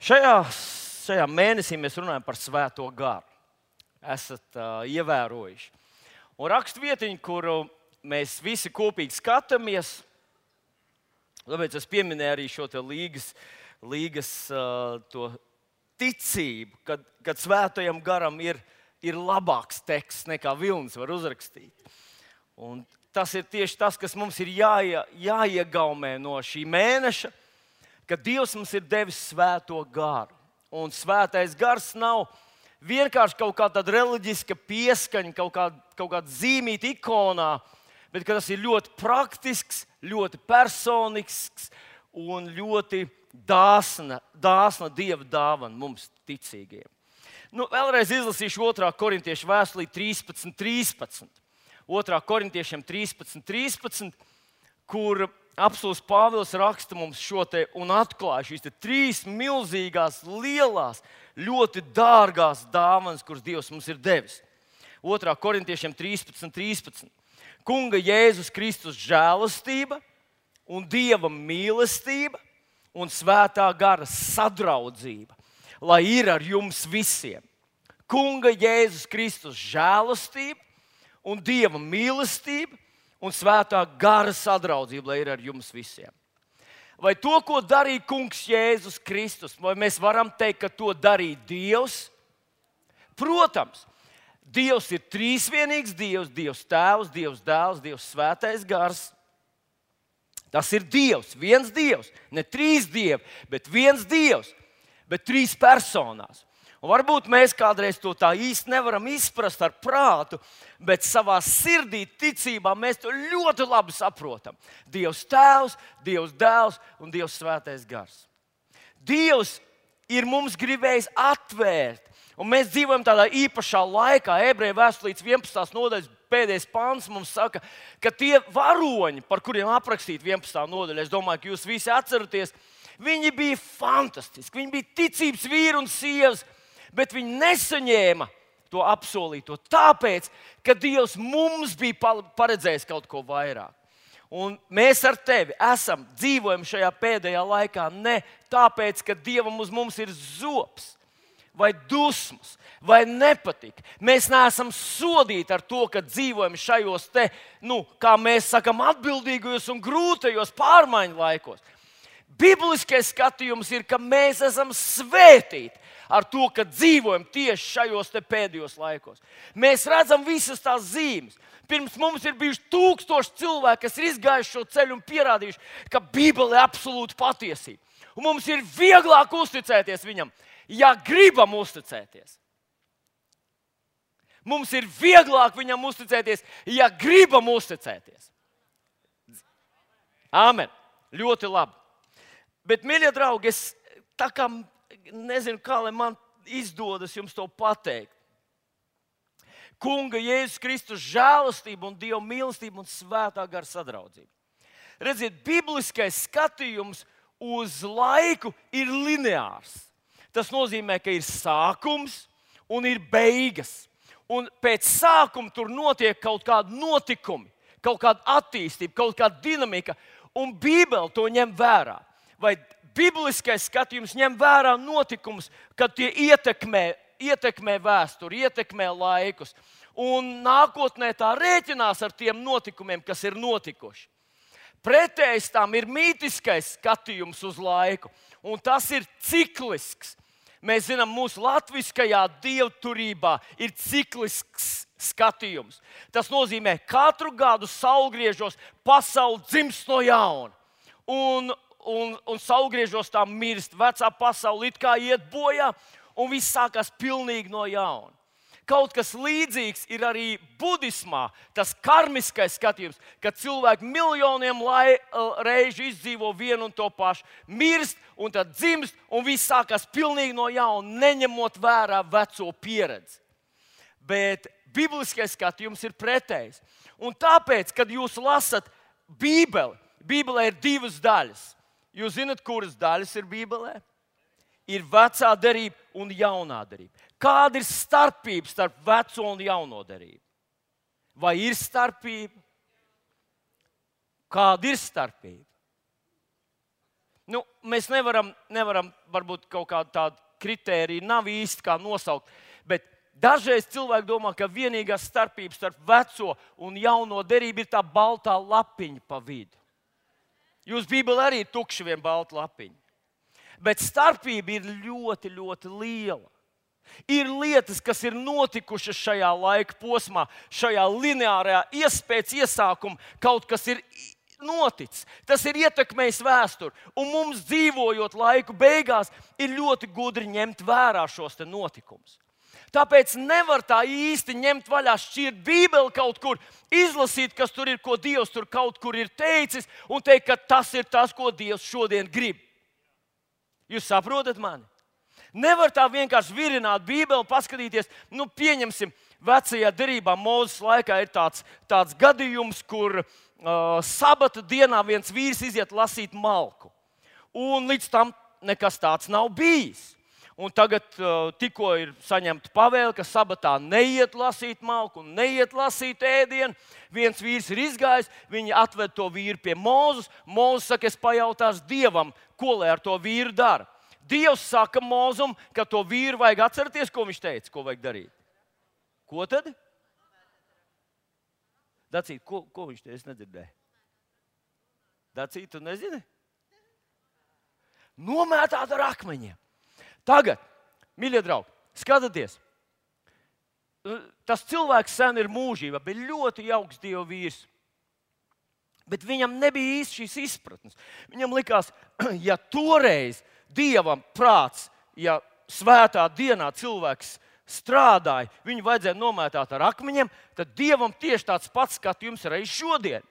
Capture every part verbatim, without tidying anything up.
Šajā, šajā mēnesī mēs runājam par Svēto garu. Esat uh, ievērojuši. Un rakstvietiņu, kuru mēs visi kopīgi skatāmies, tāpēc es pieminēju arī šo te līgas, līgas uh, to ticību, kad, kad Svētajam garam ir, ir labāks teksts nekā Vilnis var uzrakstīt. Un tas ir tieši tas, kas mums ir jāie, jāiegaumē no šī mēneša, ka Dievs mums ir devis Svēto garu. Un Svētais gars nav vienkārši kaut kāda reliģiska pieskaņa, kaut kāda, kaut kāda zīmīta ikonā, bet tas ir ļoti praktisks, ļoti personisks un ļoti dāsna, dāsna Dieva dāvana mums ticīgiem. Nu, vēlreiz izlasīšu otrā korintiešu vēstulī trīspadsmit trīspadsmit. otrā korintiešiem trīspadsmit trīspadsmit, kur apostuls Pāvils raksta mums šo te un atklāja šīs te trīs milzīgās, lielās, ļoti dārgās dāvanas, kuras Dievs mums ir devis. otrā korintiešiem trīspadsmit trīspadsmit. Kunga Jēzus Kristus žēlastība un Dieva mīlestība un Svētā gara sadraudzība, lai ir ar jums visiem. Kunga Jēzus Kristus žēlastība un Dieva mīlestība un Svētā gara sadraudzība, lai ir ar jums visiem. Vai to, ko darīja Kungs Jēzus Kristus, vai mēs varam teikt, ka to darīja Dievs? Protams, Dievs ir trīsvienīgs Dievs, Dievs Tēvs, Dievs Dēls, Dievs Svētais gars. Tas ir Dievs, viens Dievs, ne trīs dievi, bet viens Dievs, bet trīs personās. Un varbūt mēs kādreiz to tā īsti nevaram izprast ar prātu, bet savā sirdī, ticībā mēs to ļoti labi saprotam. Dievs Tēvs, Dievs Dēls un Dievs Svētais gars. Dievs ir mums gribējis atvērt, un mēs dzīvojam tādā īpašā laikā. Ebreju vēstulītes vienpadsmitās nodaļas pēdējais pants mums saka, ka tie varoņi, par kuriem aprakstīta vienpadsmitā nodaļa, es domāju, ka jūs visi atceraties, viņi bija fantastiski, viņi bija ticības vīri un sievas, bet viņi nesaņēma to apsolīto, tāpēc, ka Dievs mums bija paredzējis kaut ko vairāk. Un mēs ar tevi esam dzīvojam šajā pēdējā laikā ne tāpēc, ka Dievam uz mums ir zops, vai dusmas, vai nepatika. Mēs neesam sodīti ar to, ka dzīvojam šajos te, nu, kā mēs sakam, atbildīgajos un grūtajos pārmaiņu laikos. Bibliskais skatījums ir, ka mēs esam svētīti ar to, ka dzīvojam tieši šajos te pēdējos laikos. Mēs redzam visas tās zīmes. Pirms mums ir bijuši tūkstoši cilvēki, kas ir izgājuši šo ceļu un pierādījuši, ka Bībele ir absolūta patiesība. Un mums ir vieglāk uzticēties viņam, ja gribam uzticēties. Mums ir vieglāk viņam uzticēties, ja gribam uzticēties. Āmen. Ļoti labi. Bet, mīļie draugi, es tā kā nezinu, kā lai man izdodas jums to pateikt. Kunga Jēzus Kristus žēlastība un Dieva mīlestība un Svētā gara sadraudzība. Redziet, bibliskais skatījums uz laiku ir lineārs. Tas nozīmē, ka ir sākums un ir beigas. Un pēc sākuma tur notiek kaut kādi notikumi, kaut kāda attīstība, kaut kāda dinamika, un Bībele to ņem vērā. Vai bibliskais skatījums ņem vērā notikumus, kad tie ietekmē, ietekmē vēsturi, ietekmē laikus. Un nākotnē tā rēķinās ar tiem notikumiem, kas ir notikuši. Pretējs tam ir mītiskais skatījums uz laiku, un tas ir ciklisks. Mēs zinām, mūsu latviskajā dievturībā ir ciklisks skatījums. Tas nozīmē, ka katru gadu saulgriežos pasaule dzimst no jauna. Un Un, un saulgriežos tā mirst, vecā pasaule it kā iet bojā, un viss sākās pilnīgi no jauna. Kaut kas līdzīgs ir arī budismā, tas karmiskais skatījums, kad cilvēki miljoniem lai, reižu izdzīvo vienu un to pašu, mirst un tad dzimst, un viss sākās pilnīgi no jauna, neņemot vērā veco pieredzi. Bet bibliskais skatījums ir pretējs. Un tāpēc, kad jūs lasat Bībeli, Bībelē ir divas daļas. Jūs zināt, kuras daļas ir Bībelē? Ir vecā derība un jaunā derība. Kāda ir starpība starp veco un jauno derību? Vai ir starpība? Kāda ir starpība? Nu, mēs nevaram, nevaram, varbūt kaut kādu tādu kritēriju nav īsti kā nosaukt, bet dažreiz cilvēki domā, ka vienīgā starpība starp veco un jauno derību ir tā baltā lapiņa pa vidu. Jūs Bībelē arī ir tukši vien balta lapiņa. Bet starpība ir ļoti, ļoti liela. Ir lietas, kas ir notikušas šajā laika posmā, šajā lineārajā iespējas iesākumā, kaut kas ir noticis. Tas ir ietekmējis vēsturi. Un mums dzīvojot laiku beigās, ir ļoti gudri ņemt vērā šos te notikumus. Tāpēc nevar tā īsti ņemt vaļā, šķirt Bībeli kaut kur, izlasīt, kas tur ir, ko Dievs tur kaut kur ir teicis, un teikt, ka tas ir tas, ko Dievs šodien grib. Jūs saprotat mani? Nevar tā vienkārši virināt Bībeli, paskatīties, nu pieņemsim, vecajā derībā Mūzes laikā ir tāds, tāds gadījums, kur uh, sabata dienā viens vīrs iziet lasīt malku. Un līdz tam nekas tāds nav bijis. Un tagad uh, tikko ir saņemta pavēle, ka sabatā neiet lasīt malku un neiet lasīt ēdienu. Viens vīrs ir izgājis, viņi atved to vīru pie Mūzes. Mūzes saka, es pajautāšu Dievam, ko lai ar to vīru dara. Dievs saka Mūzum, ka to vīru vajag atcerēties, ko viņš teica, ko vajag darīt. Ko tad? Dacīt, ko, ko viņš teica? Es nedzirdēju. Dacīt, tu nezini? Nomētāt ar akmeņiem. Tagad, mīļie draugi, skatieties. Tas cilvēks sen ir mūžībā, bet ļoti jauks Dieva vīrs. Bet viņam nebija īsti šīs izpratnes. Viņam likās, ja toreiz Dievam prāts, ja svētā dienā cilvēks strādāja, viņu vajadzēja nomētāt ar akmeņiem, tad Dievam tieši tāds pats skatījums ir arī šodien.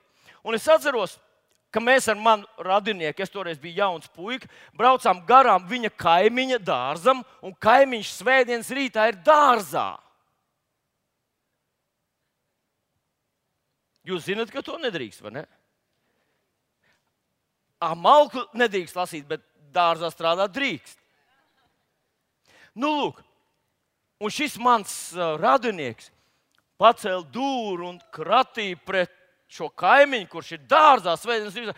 Un es atceros, ka mēs ar manu radinieku, es toreiz biju jauns puika, braucām garām viņa kaimiņa dārzam, un kaimiņš svētdienas rītā ir dārzā. Jūs zināt, ka to nedrīkst, vai ne? Ā, malku nedrīkst lasīt, bet dārzā strādāt drīkst. Nu, lūk, un šis mans uh, radinieks pacēla dūru un kratīja pret šo kaimiņu, kurš ir dārzā, svētdienas rītā.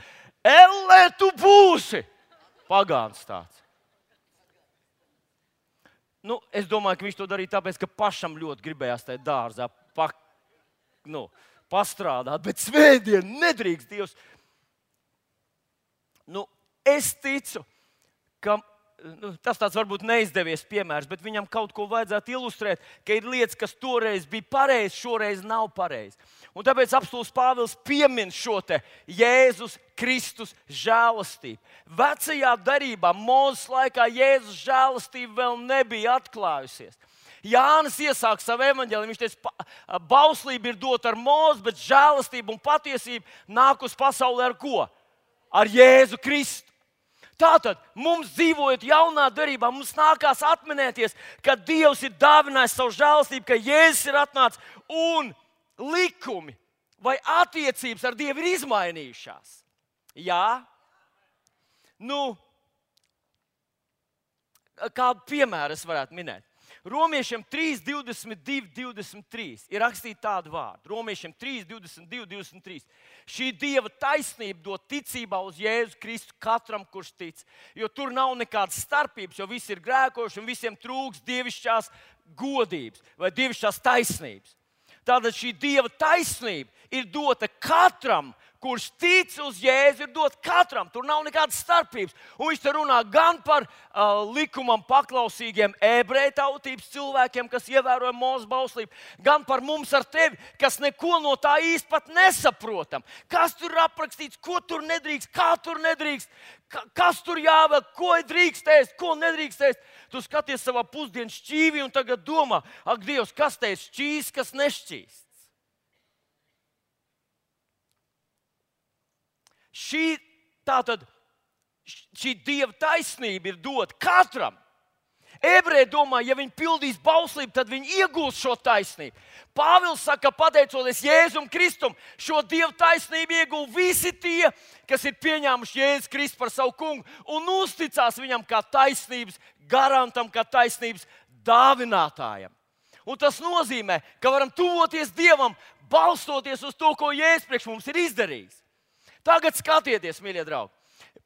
Ellē, tu būsi! Pagāns tāds. Nu, es domāju, ka viņš to darīja tāpēc, ka pašam ļoti gribējās tajā dārzā pa, nu, pastrādāt, bet svētdien nedrīkst Dievs. Nu, es ticu, ka nu, tas tāds varbūt neizdevies piemērs, bet viņam kaut ko vajadzētu ilustrēt, ka ir lietas, kas toreiz bija pareizi, šoreiz nav pareizi. Un tāpēc apostuls Pāvils piemin šo te Jēzus Kristus žēlastību. Vecajā derībā, Mūzes laikā, Jēzus žēlastība vēl nebija atklājusies. Jānis iesāk savu evaņģēliju, viņš teica, bauslība ir dota ar Mūzi, bet žēlastība un patiesība nāk uz pasauli ar ko? Ar Jēzu Kristu. Tātad mums dzīvojot jaunā derībā, mums nākās atminēties, ka Dievs ir dāvinājis savu žēlastību, ka Jēzus ir atnācis un likumi vai attiecības ar Dievu ir izmainījušās. Jā? Nu, kādu piemēru es varētu minēt? Romiešiem trīs, divdesmit divi, divdesmit trīs ir rakstīti tādu vārdu. Romiešiem trīs, divdesmit divi, divdesmit trīs. Šī Dieva taisnība dod ticībā uz Jēzu Kristu katram, kurš tic. Jo tur nav nekādas starpības, jo visi ir grēkojuši un visiem trūks dievišķās godības vai dievišķās taisnības. Tātad šī Dieva taisnība ir dota katram, kurš tic uz Jēzu, ir dot katram. Tur nav nekādas starpības. Un viņš te runā gan par uh, likumam paklausīgiem ebreju tautības cilvēkiem, kas ievēroja Mūzes bauslību, gan par mums ar tevi, kas neko no tā īsti pat nesaprotam. Kas tur ir aprakstīts, ko tur nedrīkst, kā tur nedrīkst, ka, kas tur jāvēl, ko drīkst ēst, ko nedrīkst ēst. Tu skaties savā pusdienas šķīvī un tagad domā, ak, Dievs, kas te ir šķīs, kas nešķīsts. Šī, tātad, šī Dieva taisnība ir dota katram. Ebreji domā, ja viņi pildīs bauslību, tad viņi iegūs šo taisnību. Pāvils saka, pateicoties Jēzum Kristum, šo Dieva taisnību iegūs visi tie, kas ir pieņēmuši Jēzu Kristu par savu kungu un uzticās viņam kā taisnības garantam, kā taisnības dāvinātājam. Un tas nozīmē, ka varam tuvoties Dievam, balstoties uz to, ko Jēzus priekš mums ir izdarījis. Tagad skatieties, mīļie draugi.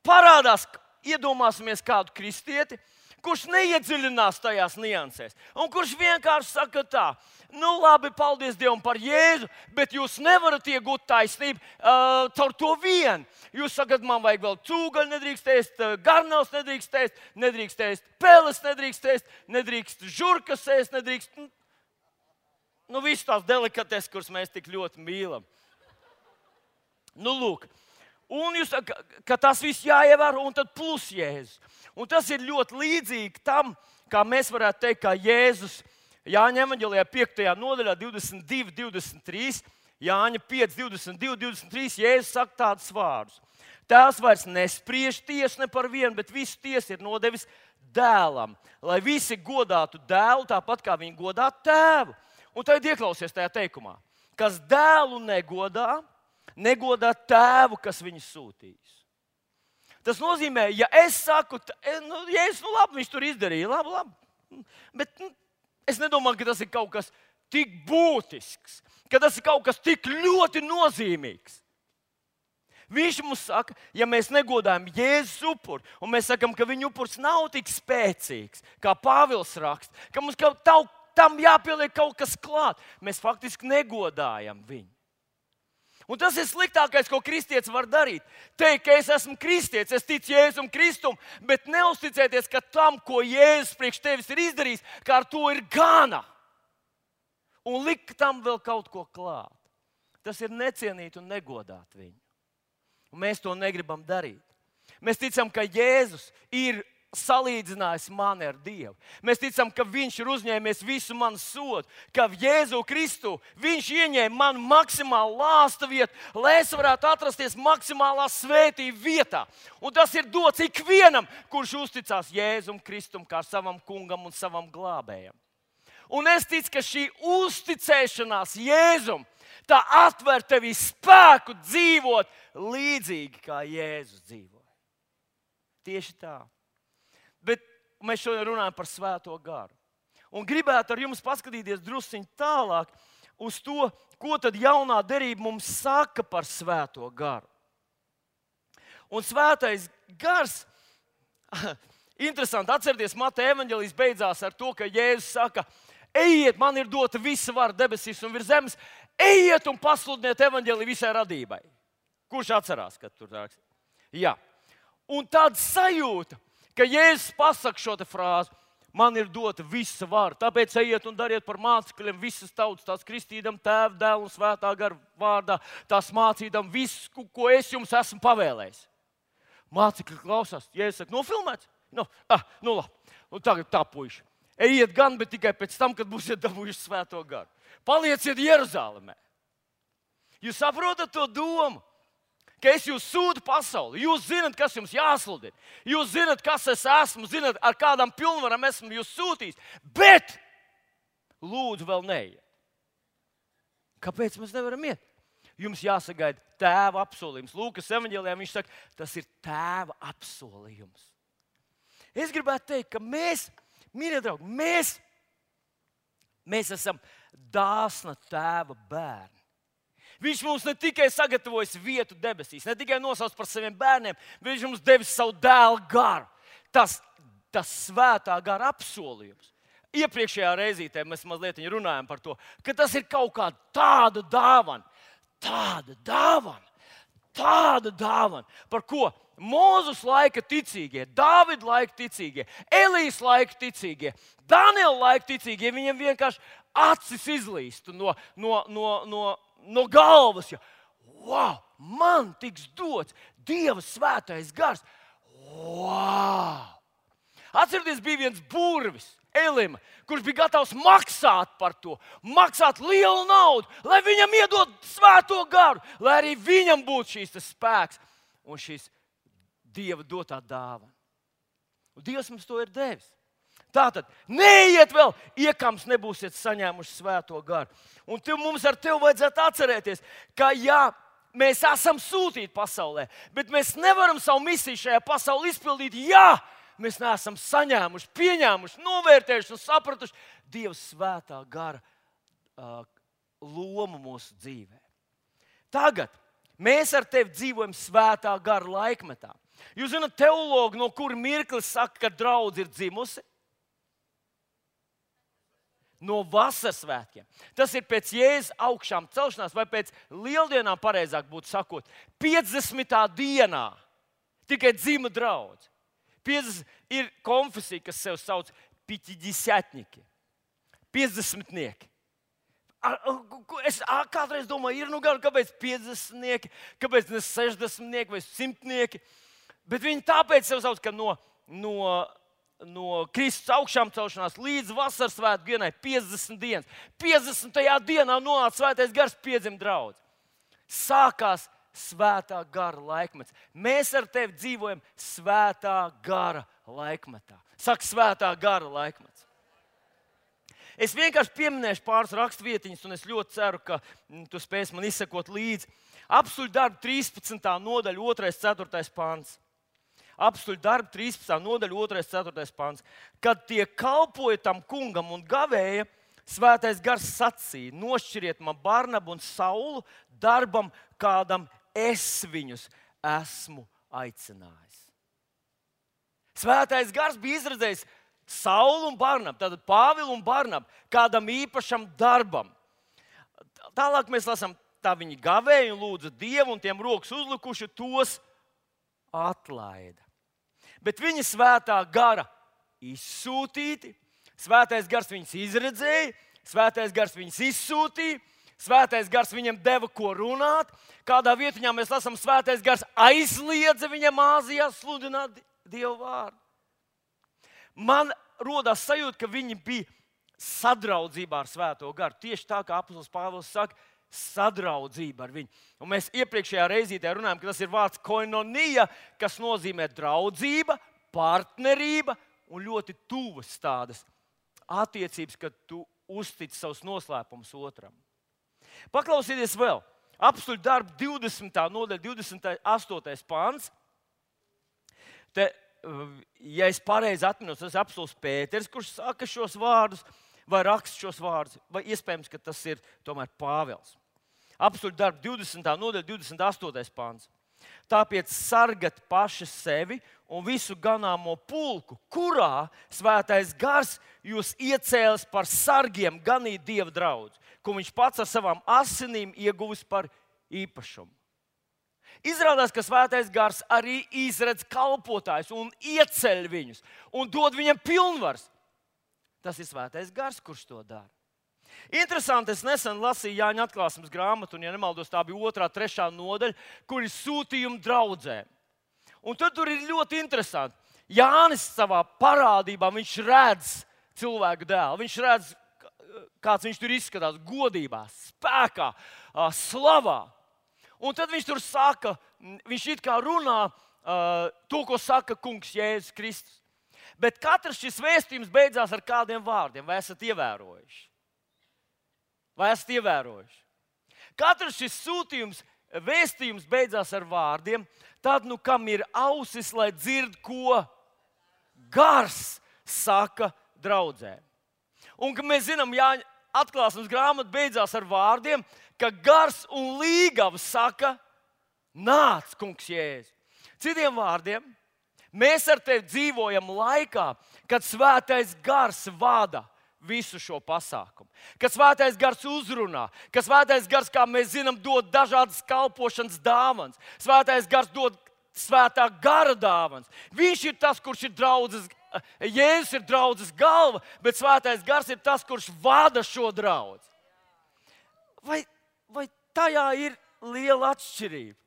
Parādās iedomāsimies kādu kristieti, kurš neiedziļinās tajās niansēs, un kurš vienkārši saka tā, nu labi, paldies Dievam par Jēzu, bet jūs nevarat iegūt taisnību uh, caur to vien. Jūs sakat, man vajag vēl cūgaļu, nedrīkst ēst, garnavas nedrīkst ēst, nedrīkst ēst peles, nedrīkst ēst, nedrīkst žurkas ēst, nedrīkst, nu, nu visas tās delikates, kuras mēs tik ļoti mīlam. Nu lūk. Un jūs sakat, ka tas viss jāievēro, un tad plus Jēzus. Un tas ir ļoti līdzīgi tam, kā mēs varētu teikt, kā Jēzus Jāņa evaņģēlijā piektajā nodaļā divdesmit divi, divdesmit trīs, Jāņa pieci, divdesmit divi, divdesmit trīs, Jēzus saka tādus vārdus. Tēvs vairs nespriež tiesu ne par vienu, bet visu tiesu ir nodevis dēlam, lai visi godātu dēlu tāpat, kā viņi godā tēvu. Un tad ieklausies tajā teikumā, kas dēlu negodā, negodā tēvu, kas viņu sūtījis. Tas nozīmē, ja es saku, nu, Jēzus, nu labi, viņš tur izdarīja, labi, labi. Bet nu, es nedomāju, ka tas ir kaut kas tik būtisks, ka tas ir kaut kas tik ļoti nozīmīgs. Viņš mums saka, ja mēs negodājam Jēzus upuri, un mēs sakam, ka viņa upuris nav tik spēcīgs, kā Pāvils raksta, ka mums kaut tam jāpieliek kaut kas klāt, mēs faktiski negodājam viņu. Un tas ir sliktākais, ko kristietis var darīt. Teikt, ka es esmu kristietis, es ticu Jēzum Kristum, bet neuzticēties, ka tam, ko Jēzus priekš tevis ir izdarījis, ka ar to ir gana. Un likt tam vēl kaut ko klāt. Tas ir necienīt un negodāt viņu. Un mēs to negribam darīt. Mēs ticam, ka Jēzus ir salīdzinājis mani ar Dievu. Mēs ticam, ka viņš ir uzņēmies visu manu sodu, ka Jēzu Kristu viņš ieņēma manu maksimālu lāsta vietu, lai es varētu atrasties maksimālā svētība vietā. Un tas ir dots ikvienam, kurš uzticās Jēzum Kristum kā savam kungam un savam glābējam. Un es ticu, ka šī uzticēšanās Jēzum, tā atver tevī spēku dzīvot līdzīgi, kā Jēzus dzīvoja. Tieši tā. Bet mēs šodien runājam par Svēto garu. Un gribētu ar jums paskatīties drusciņ tālāk uz to, ko tad jaunā derība mums saka par Svēto garu. Un Svētais gars, interesanti, atcerieties, Mateja evaņģēlijs beidzās ar to, ka Jēzus saka, ejiet, man ir dota visa vara debesīs un virs zemes, ejiet un pasludiniet evaņģēliju visai radībai. Kurš atcerās, kad tur raksta? Jā. Un tāda sajūta, ka Jēzus pasaka šo te frāzi, man ir dota visa vara, tāpēc ejiet un dariet par mācekļiem visas tautas, tās kristīdam Tēva, Dēla un Svētā gara vārdā, tās mācīdam visu, ko es jums esmu pavēlējis. Mācekļi klausās, Jēzus saka, nofilmēts? No, ah, nu labi, un tagad tā puiši. Ejiet gan, bet tikai pēc tam, kad būsiet dabūjuši Svēto garu. Palieciet Jeruzālēmē. Jūs saprotat to domu? Ka es jūs sūtu pasauli, jūs zinat, kas jums jāsludina, jūs zinat, kas es esmu, zinat, ar kādām pilnvarām esmu jūs sūtījis, bet lūdzu vēl neiet. Kāpēc mēs nevaram iet? Jums jāsagaida Tēva apsolījums. Lūkas evaņģēlijā viņš saka, tas ir Tēva apsolījums. Es gribētu teikt, ka mēs, mīļie draugi, mēs, mēs esam dāsna Tēva bērni. Viņš mums ne tikai sagatavojas vietu debesīs, ne tikai nosauc par saviem bērniem, bet viņš mums devis savu dēlu garu. Tas, tas Svētā gara apsolījums. Iepriekšējā reizītē mēs mazliet runājam par to, ka tas ir kaut kāda tāda dāvana, tāda dāvana, tāda dāvana, par ko Mūzus laika ticīgie, Dāvida laika ticīgie, Elijas laika ticīgie, Daniela laika ticīgie, viņiem vienkārši acis izlīst no, no, no, no, no galvas. Ja, wow, man tiks dots Dieva svētais gars. Wow! Atcerieties, bija viens burvis, Elima, kurš bija gatavs maksāt par to, maksāt lielu naudu, lai viņam iedod svēto garu, lai arī viņam būtu šīs spēks un šīs Dieva dotā dāvana. Un Dievs mums to ir devis. Tātad, neiet vēl, iekams nebūsiet saņēmuši svēto garu. Un tev, mums ar tevi vajadzētu atcerēties, ka jā, mēs esam sūtīti pasaulē, bet mēs nevaram savu misiju šajā pasaulē izpildīt, ja mēs neesam saņēmuši, pieņēmuši, novērtējuši un sapratuši Dieva svētā gara uh, lomu mūsu dzīvē. Tagad mēs ar tevi dzīvojam svētā gara laikmetā. Jūs zināt, teologi, no kura mirklis saka, ka draudze ir dzimusi? No vasaras svētkiem. Tas ir pēc Jēzus augšām celšanās, vai pēc lieldienām, pareizāk būtu sakot, piecdesmitā dienā tikai dzima draudze. piecdesmit ir konfesija, kas sev sauc piķiģisētņiki, piecdesmitnieki. Es kādreiz domāju, ir nu gan, kāpēc piecdesmitnieki, kāpēc ne sešdesmitnieki vai simtnieki, bet viņi tāpēc sev sauc, ka no, no no Kristus augšām celšanās līdz vasaras svētku dienai piecdesmit dienas. piecdesmitajā dienā nonāca svētais gars, piedzima draudze. Sākās svētā gara laikmets. Mēs ar tevi dzīvojam svētā gara laikmetā. Saka, svētā gara laikmets. Es vienkārši pieminēšu pāris rakstvietiņas, un es ļoti ceru, ka tu spēsi man izsekot līdzi. Apstuļu darbu trīspadsmitā nodaļa, otrais, ceturtais pants. Apstuļu darbu trīspadsmitā nodaļa, otrais, ceturtais pants. Kad tie kalpoja tam kungam un gavēja, svētais gars sacīja: nošķiriet man Barnabu un Saulu darbam, kādam es viņus esmu aicinājis. Svētais gars bija izredzējis Saulu un Barnabu, tātad Pāvilu un Barnabu, kādam īpašam darbam. Tālāk mēs lasām, tā viņi gavēja un lūdza Dievu, un tiem rokas uzlikuši tos atlaida. Bet viņa svētā gara izsūtīti, svētais gars viņus izredzēja, svētais gars viņus izsūtīja, svētais gars viņam deva ko runāt. Kādā vietiņā mēs lasām, svētais gars aizliedza viņam Āzijā sludināt Dievu vārdu. Man rodās sajūta, ka viņi bija sadraudzībā ar svēto garu. Tieši tā, kā apostols Pāvils saka, sadraudzība ar viņu. Un mēs iepriekšējā reizītē runājām, ka tas ir vārds koinonija, kas nozīmē draudzība, partnerība un ļoti tuvas tādas attiecības, kad tu uztic savus noslēpumus otram. Paklausieties vēl. Apstuļu darbu divdesmitā nodaļa, divdesmit astotais pants. Te, ja es pareizi atminos, tas ir apostols Pēters, kurš saka šos vārdus, vai raksta šos vārdus, vai iespējams, ka tas ir tomēr Pāvils. Apstuļu darbu divdesmitā nodaļa, divdesmit astotais pants. Tāpēc sargat paši sevi un visu ganāmo pulku, kurā svētais gars jūs iecēlis par sargiem ganīt Dieva draudzi, ko viņš pats ar savām asinīm ieguvis par īpašumu. Izrādās, ka svētais gars arī izredz kalpotājus un ieceļ viņus un dod viņam pilnvaras. Tas ir svētais gars, kurš to dara. Interesanti, es nesen lasīju Jāņa atklāsmes grāmatu, un, ja nemaldos, tā bija otrā, trešā nodaļa, kur ir sūtījumi draudzēm. Un tad tur ir ļoti interesanti. Jānis savā parādībā, viņš redz cilvēku dēlu. Viņš redz, kāds viņš tur izskatās, godībā, spēkā, slavā. Un tad viņš tur saka, viņš it kā runā to, ko saka kungs Jēzus Kristus. Bet katrs šis vēstījums beidzās ar kādiem vārdiem. Vai esat ievērojuši? Vai esat ievērojuši? Katrs šis sūtījums, vēstījums beidzās ar vārdiem. Tad, nu, kam ir ausis, lai dzird, ko gars saka draudzēm. Un, ka mēs zinām, Jāņa atklāsmes grāmata beidzās ar vārdiem, ka gars un līgava saka: nāc, kungs Jēzus. Citiem vārdiem, mēs ar tevi dzīvojam laikā, kad svētais gars vada visu šo pasākumu. Kad svētais gars uzrunā, kad svētais gars, kā mēs zinām, dod dažādas kalpošanas dāvanas. Svētais gars dod svētā gara dāvanas. Viņš ir tas, kurš ir draudzes, Jēzus ir draudzes galva, bet svētais gars ir tas, kurš vada šo draudzi. Vai, vai tajā ir liela atšķirība?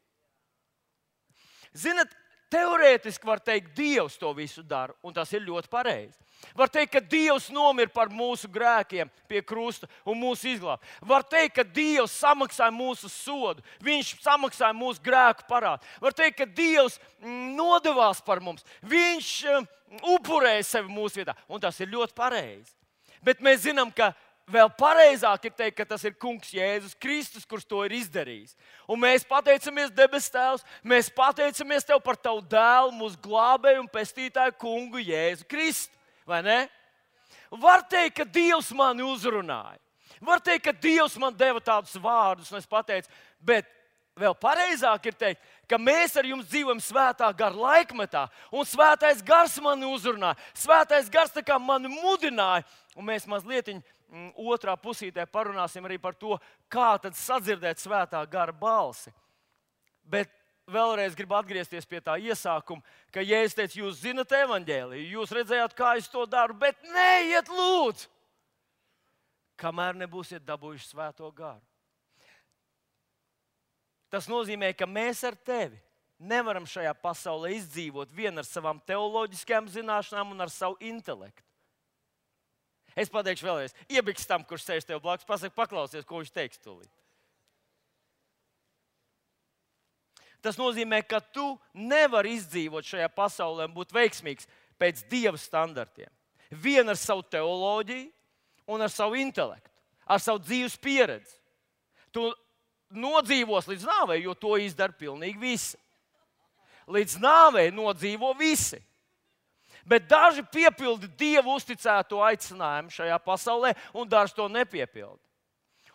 Ziniet, teorētiski var teikt, Dievs to visu dara, un tas ir ļoti pareizi. Var teikt, ka Dievs nomira par mūsu grēkiem pie krusta un mūsu izglāba. Var teikt, ka Dievs samaksāja mūsu sodu, Viņš samaksāja mūsu grēku parādu. Var teikt, ka Dievs nodevās par mums, Viņš upurēja sevi mūsu vietā, un tas ir ļoti pareizi. Bet mēs zinām, ka vēl pareizāk ir teikt, ka tas ir kungs Jēzus Kristus, kurš to ir izdarījis. Un mēs pateicamies, debes Tēvs, mēs pateicamies Tev par Tavu dēlu, mūsu glābēju un pestītāju kungu Jēzu Kristu. Vai ne? Var teikt, ka Dievs mani uzrunāja. Var teikt, ka Dievs man deva tādus vārdus, un es pateicu, bet vēl pareizāk ir teikt, ka mēs ar jums dzīvojam svētā gara laikmetā, un svētais gars mani uzrunāja, svētais gars tā kā mani mudināja, un mēs mazliet mm, otrā pusītē parunāsim arī par to, kā tad sadzirdēt svētā gara balsi. Bet vēlreiz gribu atgriezties pie tā iesākuma, ka Jēzus teica, jūs zinat evaņģēliju, jūs redzējāt, kā es to daru, bet neiet lūdzu, kamēr nebūsiet dabūjuši svēto garu. Tas nozīmē, ka mēs ar tevi nevaram šajā pasaulē izdzīvot vien ar savām teoloģiskajām zināšanām un ar savu intelektu. Es pateikšu vēlreiz, iebiks tam, kurš sēž tev blakus, pasaka, paklausies, ko viņš teiks tūlīt. Tas nozīmē, ka tu nevari izdzīvot šajā pasaulē un būt veiksmīgs pēc Dieva standartiem. Vien ar savu teoloģiju un ar savu intelektu, ar savu dzīves pieredzi. Tu nodzīvos līdz nāvei, jo to izdara pilnīgi visi. Līdz nāvei nodzīvo visi. Bet daži piepildi Dievu uzticēto aicinājumu šajā pasaulē, un daži to nepiepildi.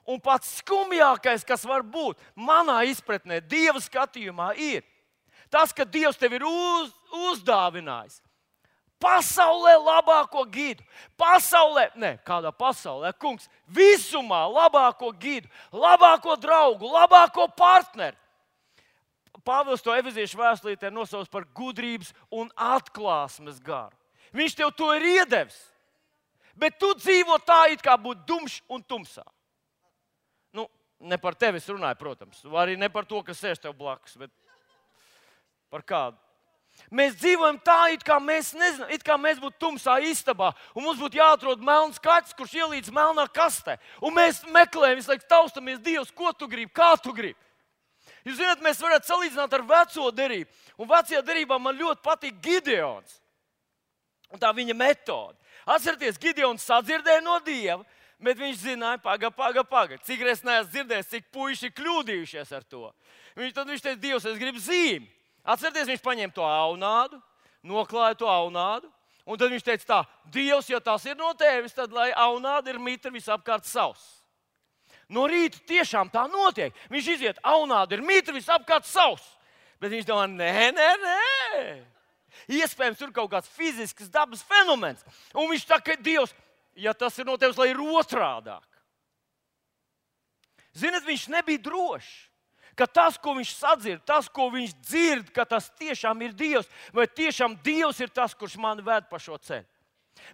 Un pats skumjākais, kas var būt manā izpratnē, Dieva skatījumā, ir tas, ka Dievs tev ir uz, uzdāvinājis pasaulē labāko gidu. Pasaulē, ne, kādā pasaulē, kungs, visumā labāko gidu, labāko draugu, labāko partneri. Pāvils to Efeziešu vēstulītē nosauc par gudrības un atklāsmes garu. Viņš tev to ir iedevis, bet tu dzīvo tā, it kā būtu dumšs un tumsā. Nu, ne par tevi es runāju, protams, arī ne par to, kas sēž tev blakus, bet par kādu. Mēs dzīvojam tā, it kā mēs nezinām, it kā mēs būtu tumsā istabā, un mums būtu jāatrod melns kaķis, kurš ielīdz melnā kastē. Un mēs meklējam, visu laiku taustamies, Dievs, ko tu gribi, kā tu gribi. Jūs zināt, mēs varētu salīdzināt ar veco derību. Un vecajā derībā man ļoti patīk Gideons. Un tā viņa metode. Atcerieties, Gideons sadzirdēja no Dieva, bet viņš zināja, paga, paga, paga. Cik reiz neesmu dzirdējis, cik puiši kļūdījušies ar to. Viņš, tad viņš teica, Dievs, es gribu zīmi. Atcerieties, viņš paņēma to aunādu, noklāja to aunādu, un tad viņš teica tā, Dievs, ja tas ir no tevis, tad lai aunāda ir mitra visapkārt savs. No rīta tiešām tā notiek. Viņš iziet, aunāda ir mitra visapkārt savs. Bet viņš domā, nē, nē, nē. Iespējams, tur kaut kāds fizisks dabas fenomens. Un viņš tā, ka Dievs, ja tas ir no tevis, lai ir otrādāk. Ziniet, viņš nebija drošs. Ka tas, ko viņš sadzird, tas, ko viņš dzird, ka tas tiešām ir Dievs, vai tiešām Dievs ir tas, kurš mani ved pa šo ceļu.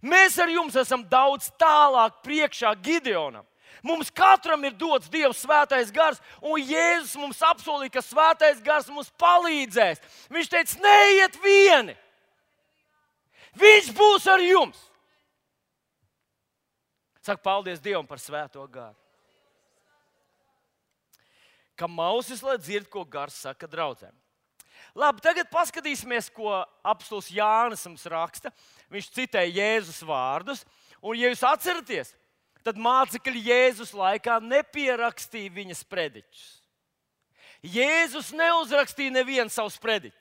Mēs ar jums esam daudz tālāk priekšā Gideonam. Mums katram ir dots Dieva svētais gars, un Jēzus mums apsolīja, ka svētais gars mums palīdzēs. Viņš teica, neiet vieni. Viņš būs ar jums. Saka, paldies Dievam par svēto garu. Ka mausis, lai dzird, ko gars saka draudzēm. Labi, tagad paskatīsimies, ko apostols Jānis mums raksta. Viņš citēja Jēzus vārdus, un, ja jūs atceraties, tad mācekļi Jēzus laikā nepierakstīja viņas prediķus. Jēzus neuzrakstīja nevienu savu prediķi.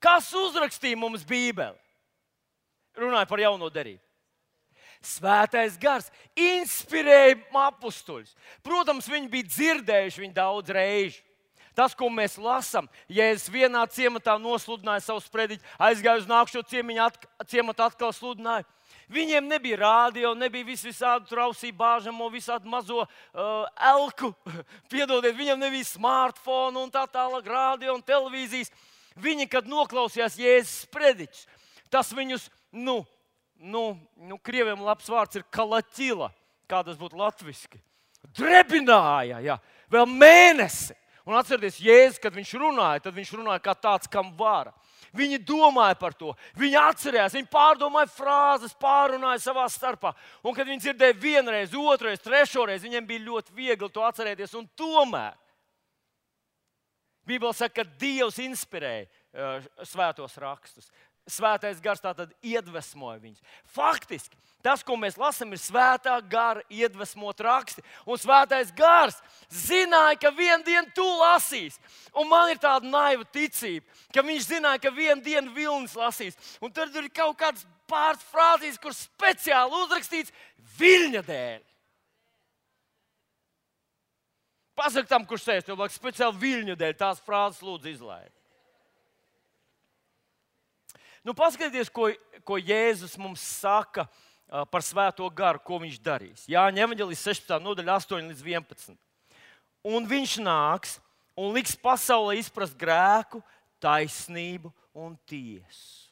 Kas uzrakstīja mums Bībeli? Runāja par jauno derību. Svētais gars inspirēja apustuļus. Protams, viņi bija dzirdējuši viņu daudz reižu. Tas, ko mēs lasām, Jēzus vienā ciematā nosludināja savu sprediķi, aizgāja uz nākšo ciematu, atkal sludināja. Viņiem nebija rādio, nebija vis visādu trausību bāžamo, visādu mazo uh, elku. Piedodiet, viņam nebija smartphone un tā tālāk, rādio un televīzijas. Viņi, kad noklausījās Jēzus sprediķus, tas viņus, nu, Nu, nu, krieviem labs vārds ir kalaķila, kā tas būtu latviski. Drebināja, jā, vēl mēnesi. Un atcerieties, Jēzus, kad viņš runāja, tad viņš runāja kā tāds, kam vara. Viņi domāja par to, viņi atcerējās, viņi pārdomāja frāzes, pārunāja savā starpā. Un kad viņi dzirdēja vienreiz, otrreiz, trešoreiz, viņiem bija ļoti viegli to atcerēties. Un tomēr Bībele saka, ka Dievs inspirēja uh, svētos rakstus. Svētais gars tātad iedvesmoja viņus. Faktiski, tas, ko mēs lasām, ir svētā gara iedvesmot raksti. Un svētais gars zināja, ka vienu dienu tu lasīs. Un man ir tāda naiva ticība, ka viņš zināja, ka vienu dienu Vilnis lasīs. Un tad ir kaut kāds pāris frāzīs, kur speciāli uzrakstīts Viļņa dēļ. Pasaki tam, kurš sēž tev blakus, speciāli viļņu dēļ tās frāzes lūdzu izlaid. Nu, paskatieties, ko, ko Jēzus mums saka uh, par Svēto garu, ko viņš darīs. Jāņa evaņģēlijas sešpadsmitā nodaļa astoņi līdz vienpadsmit. Un viņš nāks un liks pasaulē izprast grēku, taisnību un tiesu.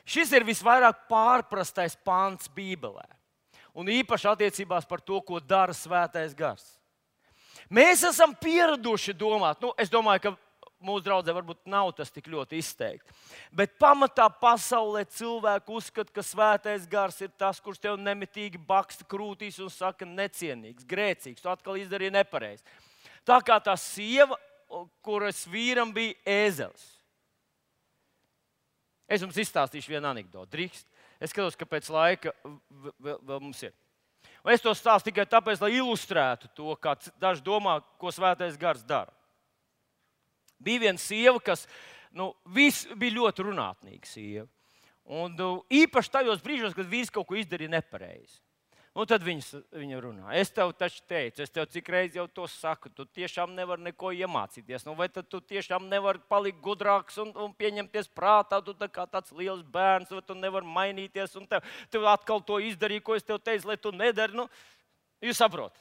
Šis ir visvairāk pārprastais pants Bībelē. Un īpaši attiecībās par to, ko dara Svētais gars. Mēs esam pieraduši domāt, nu, es domāju, ka mūsu draudzē varbūt nav tas tik ļoti izteikti. Bet pamatā pasaulē cilvēki uzskata, ka Svētais gars ir tas, kurš tev nemitīgi baksta krūtīs un saka necienīgs, grēcīgs, tu atkal izdarīji nepareizi. Tā kā tā sieva, kuras vīram bija ēzelis. Es jums izstāstīšu vienu anekdoti. Drīkst. Es skatos, ka pēc laika vēl, vēl mums ir. Un es to stāstu tikai tāpēc, lai ilustrētu to, kā daži domā, ko Svētais gars dara. Bija viena sieva, kas nu, bija ļoti runātnīga sieva. Un nu, īpaši tajos brīžos, kad vīrs kaut ko izdarīja nepareizi. Un tad viņas, viņa runā. Es tev taču teicu, es tev cik reizi jau to saku, tu tiešām nevari neko iemācīties. Nu, vai tad tu tiešām nevari palikt gudrāks un, un pieņemties prātā, tu tā kā tāds liels bērns, vai tu nevari mainīties, un tev, tev atkal to izdarīja, ko es tev teicu, lai tu nedari. Nu, jūs saprotat?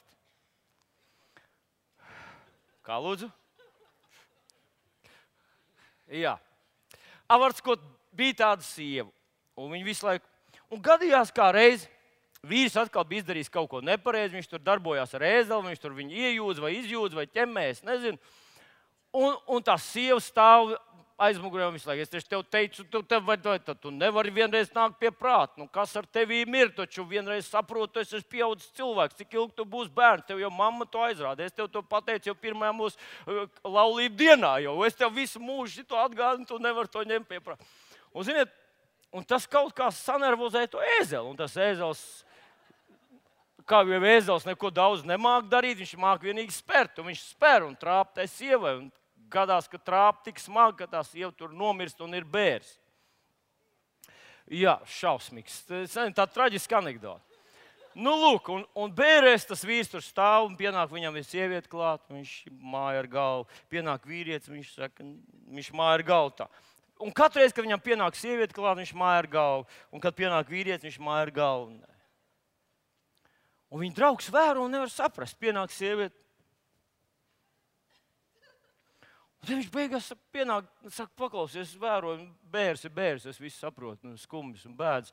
Kā lūdzu? Jā. Avarts, ko bija tāda sieva, un viņa visu laiku, un gadījās kā reizi, vīrs atkal bija izdarījis kaut ko nepareizi, viņš tur darbojās ar ēzeli, viņš tur viņu iejūdz vai izjūdz vai ķemmēs, nezinu. Un, un tā sieva stāv aizmugurē un visu laiku. Es taču tev teicu, tu, tev, vai, vai, tu nevari vienreiz nākt pie prāta. Nu, kas ar tevīm ir? Taču vienreiz saprotu, es esmu pieaudzis cilvēks. Cik ilgi tu būsi bērns? Tev jau mamma to aizrāda. Es tev to pateicu jau pirmajā mūsu uh, laulību dienā. Jau. Es tev visu mūžu to atgādinu, tu nevari to ņemt pie prāta. Un, ziniet, un tas kaut kā sanervozēja to ēzeli. Un tas ēzels, kā jau ēzels neko daudz nemāk darīt, viņš māk vienīgi spērt. Un viņš spēr un trāp tai sievai. Un gadās, ka trāp tik smagi, ka tā sieva tur nomirst un ir bērs. Jā, šausmīgs. Tā traģiska anekdote. Nu, lūk, un, un bērēs tas vīrs tur stāv un pienāk viņam ir sieviete klāt. Viņš māja ar galvu. Pienāk vīrietis, viņš saka, viņš māja ar galvu tā. Un katru reizi, kad viņam pienāk sieviete klāt, viņš māja ar galvu. Un kad pienāk vīrietis, viņš māja ar galvu. Un viņa draugs vēro un nevar saprast. Pienāk sieviete. Un tad viņš beigās pienāk, saka, paklausies, es vēroju, bērs ir bērs, es visu saprotu, nu, skumbis un bēdz.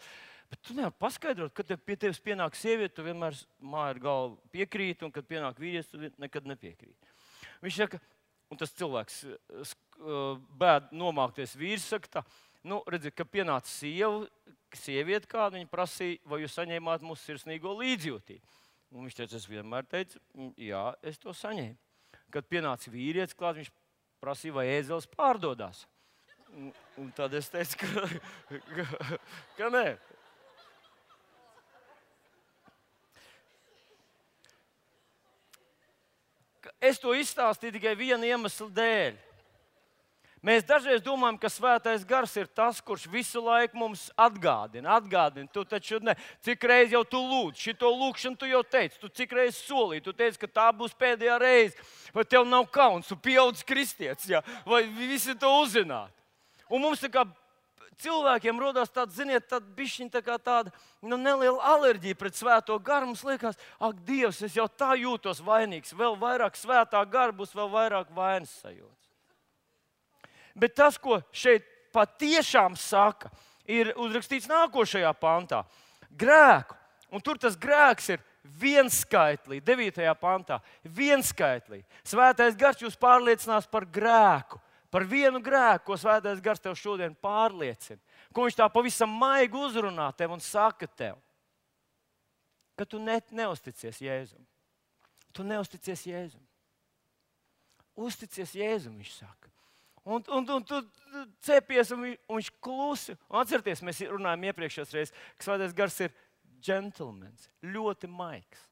Bet tu nevari paskaidrot, kad tev pie tevis pienāk sieviete, tu vienmēr māja ar galvu piekrīt, un kad pienāk vīrietis, tu nekad nepiekrīt. Viņš saka, un tas cilvēks bēd nomākties vīrs, saka tā, nu, redziet, ka pienāca sieva, sieviete kāda, viņa prasīja, vai jūs saņēmāt mūsu sirsnīgo līdzjūtību. Un viņš teica, es vienmēr teicu, jā, es to saņēmu. Kad pienāca vīrietis klāt, viņš prasīja, vai ēzelis pārdodās. Un, un tad es teicu, ka, ka, ka nē. Es to izstāstīju tikai viena iemesla dēļ. Mēs dažreiz domājam, ka Svētais gars ir tas, kurš visu laiku mums atgādina. Atgādina, tu taču ne. Cik reizi jau tu lūdz, šito lūkšanu tu jau teici, tu cik reizi solīji, tu teici, ka tā būs pēdējā reize. Vai tev nav kauns, tu pieaudzis kristietis, ja? Vai visi to uzzināt? Un mums tā kā cilvēkiem rodās tāds, ziniet, tāda bišķiņa tā kā tāda nu, neliela alerģija pret Svēto garu. Mums liekas, ak, Dievs, es jau tā jūtos vainīgs. Vēl vairāk Svētā gara būs, vēl vairāk vainas sajūtas. Bet tas, ko šeit patiešām saka, ir uzrakstīts nākošajā pantā. Grēku. Un tur tas grēks ir vienskaitlī, devītajā pantā. Vienskaitlī. Svētais gars jūs pārliecinās par grēku. Par vienu grēku, ko Svētais gars tev šodien pārliecina. Ko viņš tā pavisam maigi uzrunā tev un saka tev. Ka tu ne, neusticies Jēzum. Tu neusticies Jēzum. Uzticies Jēzum, viņš saka. Un, un, un tu cepies, un, un viņš klusi. Un atcerieties, mēs runājām iepriekšējās reizes, ka Svētais gars ir džentlmenis, ļoti maigs.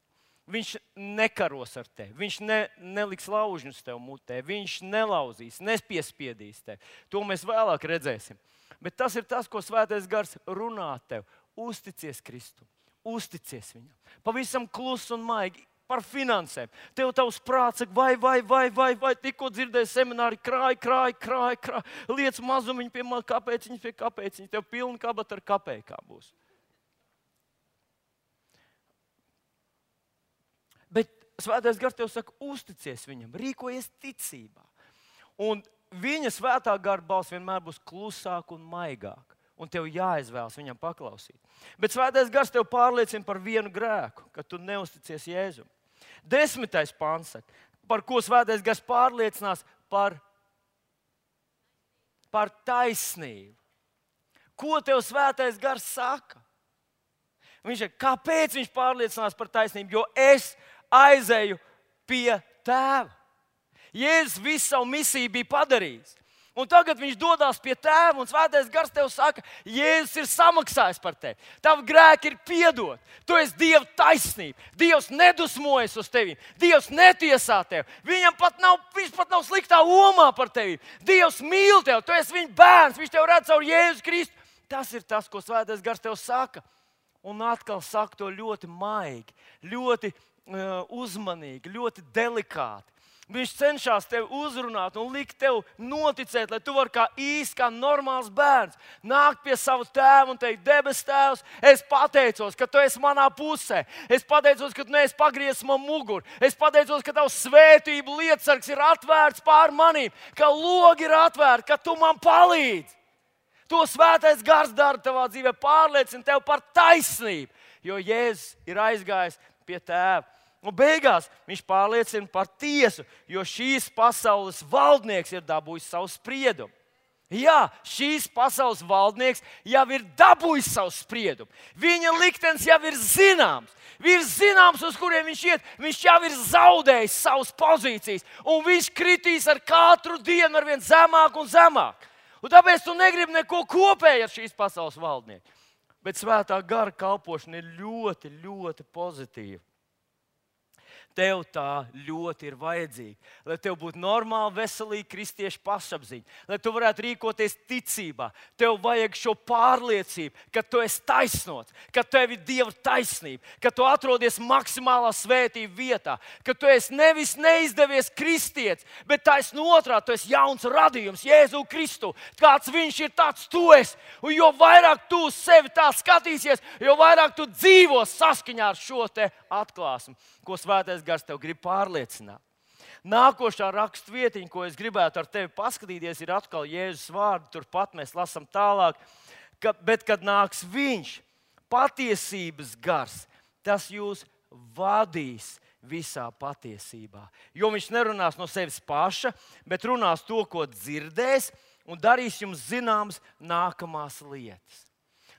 Viņš nekaros ar tevi, viņš ne, neliks laužņus tev mutē, viņš nelauzīs, nepiespiedīs tevi. To mēs vēlāk redzēsim. Bet tas ir tas, ko Svētais gars runā tev. Uzticies Kristum, uzticies viņam. Pavisam klusi un maigi par finansēm. Tev tavs prāts saka, vai, vai, vai, vai, vai, tikko dzirdēji semināri, krāj, krāj, krāj, krāj, liec mazumiņu pie kāpēciņas, pie kāpēciņas, tev pilna kabata ar kapējkām būs. Bet Svētais Gars tev saka, uzticies viņam, rīkojies ticībā. Un viņa svētā gara balss vienmēr būs klusāka un maigāka. Un tev jāizvēlas viņam paklausīt. Bet Svētais Gars tev pārliecina par vienu grēku, ka tu neusticies Jēzum. Desmitais pants saka, par ko Svētais Gars pārliecinās par, par taisnību. Ko tev Svētais Gars saka? Viņš saka, kāpēc viņš pārliecinās par taisnību? Jo es aizēju pie Tēva. Jēzus visu savu misiju bija padarījis. Un tagad viņš dodas pie Tēva, un Svētais Gars tev saka, Jēzus ir samaksājis par tevi. Tavi grēki ir piedoti. Tu esi Dieva taisnība. Dievs nedusmojas uz tevi. Dievs netiesā tevi. Viņam pat nav, viņš pat nav sliktā omā par tevi. Dievs mīl tevi. Tu esi viņa bērns. Viņš tev redz caur Jēzu Kristu. Tas ir tas, ko Svētais Gars tev saka. Un atkal saka to ļoti maigi, ļoti uh, uzmanīgi, ļoti delikāti. Viņš cenšas tevi uzrunāt un likt tev noticēt, lai tu vari kā īsts, kā normāls bērns nākt pie sava tēva un teikt, debes Tēvs, es pateicos, ka tu esi manā pusē. Es pateicos, ka tu neesi pagriezis man muguru. Es pateicos, ka tavs svētību lietasargs ir atvērts pār manīm, ka logi ir atvērti, ka tu man palīdzi. To Svētais Gars dara tavā dzīvē, pārliecina tevi par taisnību, jo Jēzus ir aizgājis pie Tēva. Un beigās viņš pārliecina par tiesu, jo šīs pasaules valdnieks ir dabūjis savu spriedumu. Jā, šīs pasaules valdnieks jau ir dabūjis savu spriedumu. Viņa liktenis jau ir zināms. Viņš ir zināms, uz kuriem viņš iet. Viņš jau ir zaudējis savas pozīcijas. Un viņš kritīs ar katru dienu ar vien zemāk un zemāk. Un tāpēc tu negribi neko kopēju ar šīs pasaules valdnieku. Bet Svētā Gara kalpošana ir ļoti, ļoti pozitīva. Tev tā ļoti ir vajadzīga, lai tev būtu normāla, veselīga kristiešu pašapziņa, lai tu varētu rīkoties ticībā. Tev vajag šo pārliecību, ka tu esi taisnots, ka tev ir Dieva taisnība, ka tu atrodies maksimālā svētība vietā, ka tu esi nevis neizdevies kristietis, bet taisno otrādi, tu esi jauns radījums, Jēzu Kristu. Kāds viņš ir, tāds tu esi. Un jo vairāk tu uz sevi tā skatīsies, jo vairāk tu dzīvos saskaņā ar šo te atklāsmi, ko Svētais Gars tev grib pārliecināt. Nākošā raksturvietiņa, ko es gribētu ar tevi paskatīties, ir atkal Jēzus vārdi. Turpat mēs lasām tālāk, ka, bet kad nāks viņš, patiesības gars, tas jūs vadīs visā patiesībā. Jo viņš nerunās no sevis paša, bet runās to, ko dzirdēs, un darīs jums zināmas nākamās lietas.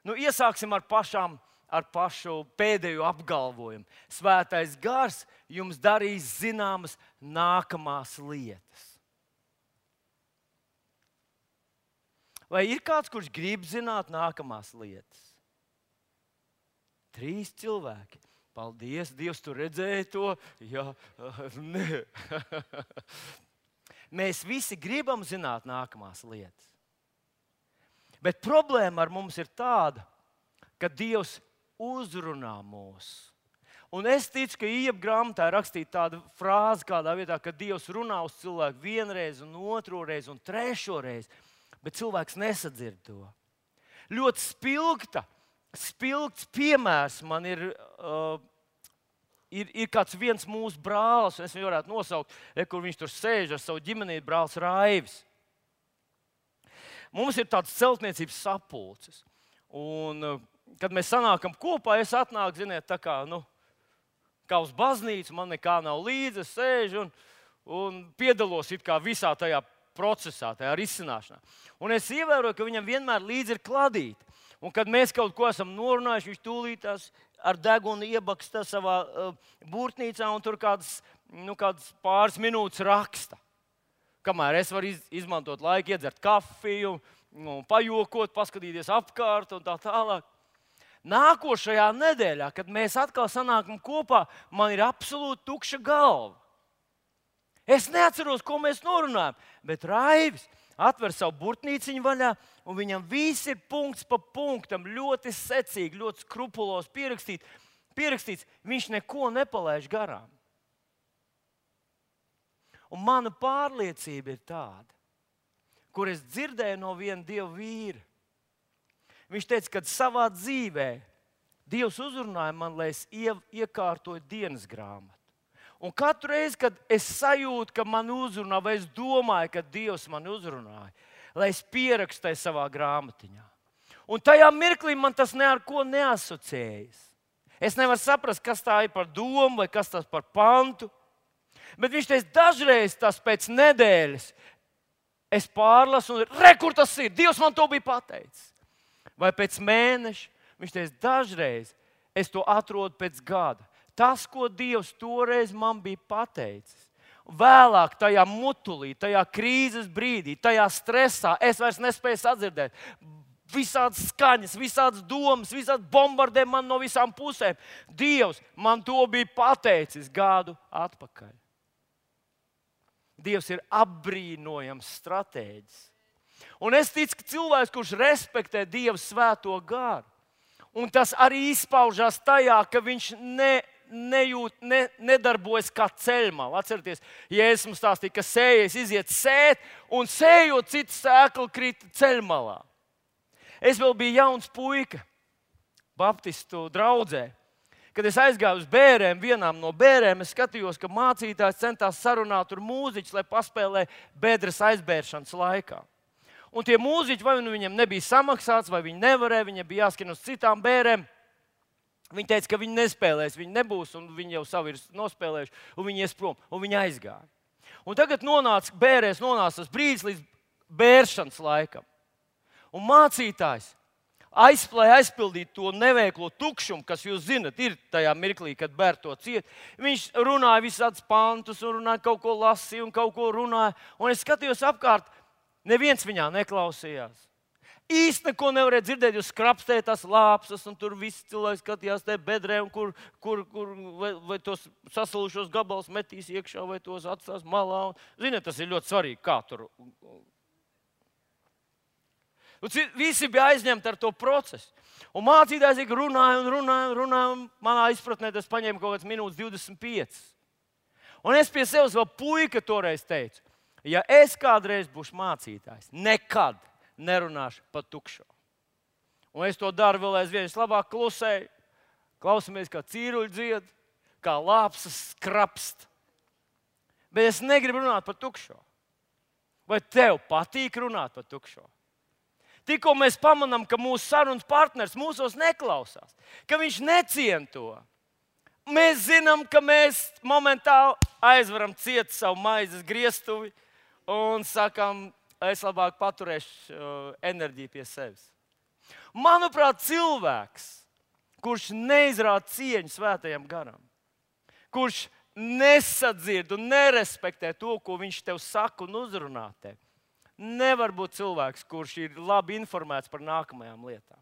Nu, iesāksim ar pašām ar pašu pēdējo apgalvojumu. Svētais Gars jums darīs zināmas nākamās lietas. Vai ir kāds, kurš grib zināt nākamās lietas? Trīs cilvēki. Paldies, Dievs, tu redzēji to? Jā, nē. Mēs visi gribam zināt nākamās lietas. Bet problēma ar mums ir tāda, ka Dievs uzrunā mūs. Un es ticu, ka Ieba grāmatā ir rakstīta tāda frāze kādā vietā, ka Dievs runā uz cilvēku vienreiz, un otro reizi, un trešo reizi, bet cilvēks nesadzird to. Ļoti spilgta, spilgts piemērs man ir, uh, ir, ir kāds viens mūsu brālis, es viņu varētu nosaukt, re, kur viņš tur sēž ar savu ģimenīti, brālis Raivis. Mums ir tāds celtniecības sapulces. Un uh, kad mēs sanākam kopā, es atnāku, ziniet, tā kā, nu, kā uz baznīcu, man nekā nav līdzi, es sēžu un, un piedalos it kā visā tajā procesā, tajā risināšanā. Un es ievēroju, ka viņam vienmēr līdzi ir kladīte. Un kad mēs kaut ko esam norunājuši, viņš tūlītās ar degunu iebaksta savā uh, burtnīcā un tur kādas, nu, kādas pāris minūtes raksta. Kamēr es varu iz, izmantot laiku, iedzert kafiju, nu, pajokot, paskatīties apkārt un tā tālāk. Nākošajā nedēļā, kad mēs atkal sanākam kopā, man ir absolūti tukša galva. Es neatceros, ko mēs norunājam, bet Raivis atver savu burtnīciņu vaļā, un viņam viss ir punkts pa punktam, ļoti secīgi, ļoti skrupulos pierakstīts. pierakstīts. Viņš neko nepalaiž garām. Un mana pārliecība ir tāda, kur es dzirdēju no viena Dieva vīra. Viņš teica, ka savā dzīvē Dievs uzrunāja man, lai es ie, iekārtoju dienas grāmatu. Un katru reizi, kad es sajūtu, ka man uzrunā, vai es domāju, ka Dievs man uzrunāja, lai es pierakstīju savā grāmatiņā. Un tajā mirklī man tas ne ar ko neasociējas. Es nevaru saprast, kas tā ir par domu vai kas tas par pantu. Bet viņš teica, dažreiz tas pēc nedēļas es pārlasu un re, kur tas ir? Dievs man to bija pateicis. Vai pēc mēneša. Viņš teica, dažreiz es to atrodu pēc gada. Tas, ko Dievs toreiz man bija pateicis. Vēlāk tajā mutulī, tajā krīzes brīdī, tajā stresā es vairs nespēju sadzirdēt. Visādas skaņas, visādas domas, visādas bombardē man no visām pusēm. Dievs man to bija pateicis gadu atpakaļ. Dievs ir apbrīnojams stratēģis. Un es ticu, ka cilvēks, kurš respektē Dieva svēto garu, un tas arī izpaužās tajā, ka viņš ne, nejūt, ne, nedarbojas kā ceļmalā. Atcerieties, Jēzus mums stāstīja, ka sējais iziet sēt, un sējot citu sēklu krīt ceļmalā. Es vēl biju jauns puika, baptistu draudzē. Kad es aizgāju uz bērēm, vienām no bērēm, es skatījos, ka mācītājs centās sarunāt ar mūziķus, lai paspēlē bedres aizbēršanas laikā. Un tie mūziķi, vai nu viņiem nebija samaksāts, vai viņi nevarēja, viņiem bija jāskan uz citām bērēm. Viņi teica, ka viņi nespēlēs, viņi nebūs, un viņi jau savu ir nospēlējuši, un viņi ies prom, un viņi aizgāja. Un tagad nonāca bērēs, nonāca tas brīdis līdz bēršanas laikam. Un mācītājs aizplēja aizpildīt to neveiklo tukšumu, kas, jūs zinat, ir tajā mirklī, kad bērni to ciet. Viņš runāja visādus pantus, un runāja kaut ko lasīja, un kaut ko runāja. Un es skatījos apkārt, neviens viņā neklausījās. Īsti neko nevarēja dzirdēt, jūs skrapstējāt tās lāpsas, un tur visi cilvēki skatījās te bedrē, un kur, kur, kur vai, vai tos sasalušos gabalus metīs iekšā, vai tos atstās malā. Un, ziniet, tas ir ļoti svarīgi, kā tur. Un visi bija aizņemti ar to procesu. Un mācītājs runāja un runāja un runāja, un manā izpratnē tas paņēma kaut kāds minūtes divdesmit piecas. Un es pie sevis vēl puika toreiz teicu, ja es kādreiz būšu mācītājs, nekad nerunāšu par tukšo. Un es to daru vēl aizvien, es labāk klusēju, klausamies, kā cīruļi dzied, kā lāpsas skrapst. Bet es negribu runāt par tukšo. Vai tev patīk runāt par tukšo? Tikko mēs pamanām, ka mūsu sarunas partners mūsos neklausās, ka viņš necien to. Mēs zinām, ka mēs momentāli aizvaram ciet savu maizes griestuvi un sakām, es labāk paturēšu uh, enerģiju pie sevis. Manuprāt, cilvēks, kurš neizrāda cieņu svētajam garam, kurš nesadzird un nerespektē to, ko viņš tev saka un uzrunā tev, nevar būt cilvēks, kurš ir labi informēts par nākamajām lietām.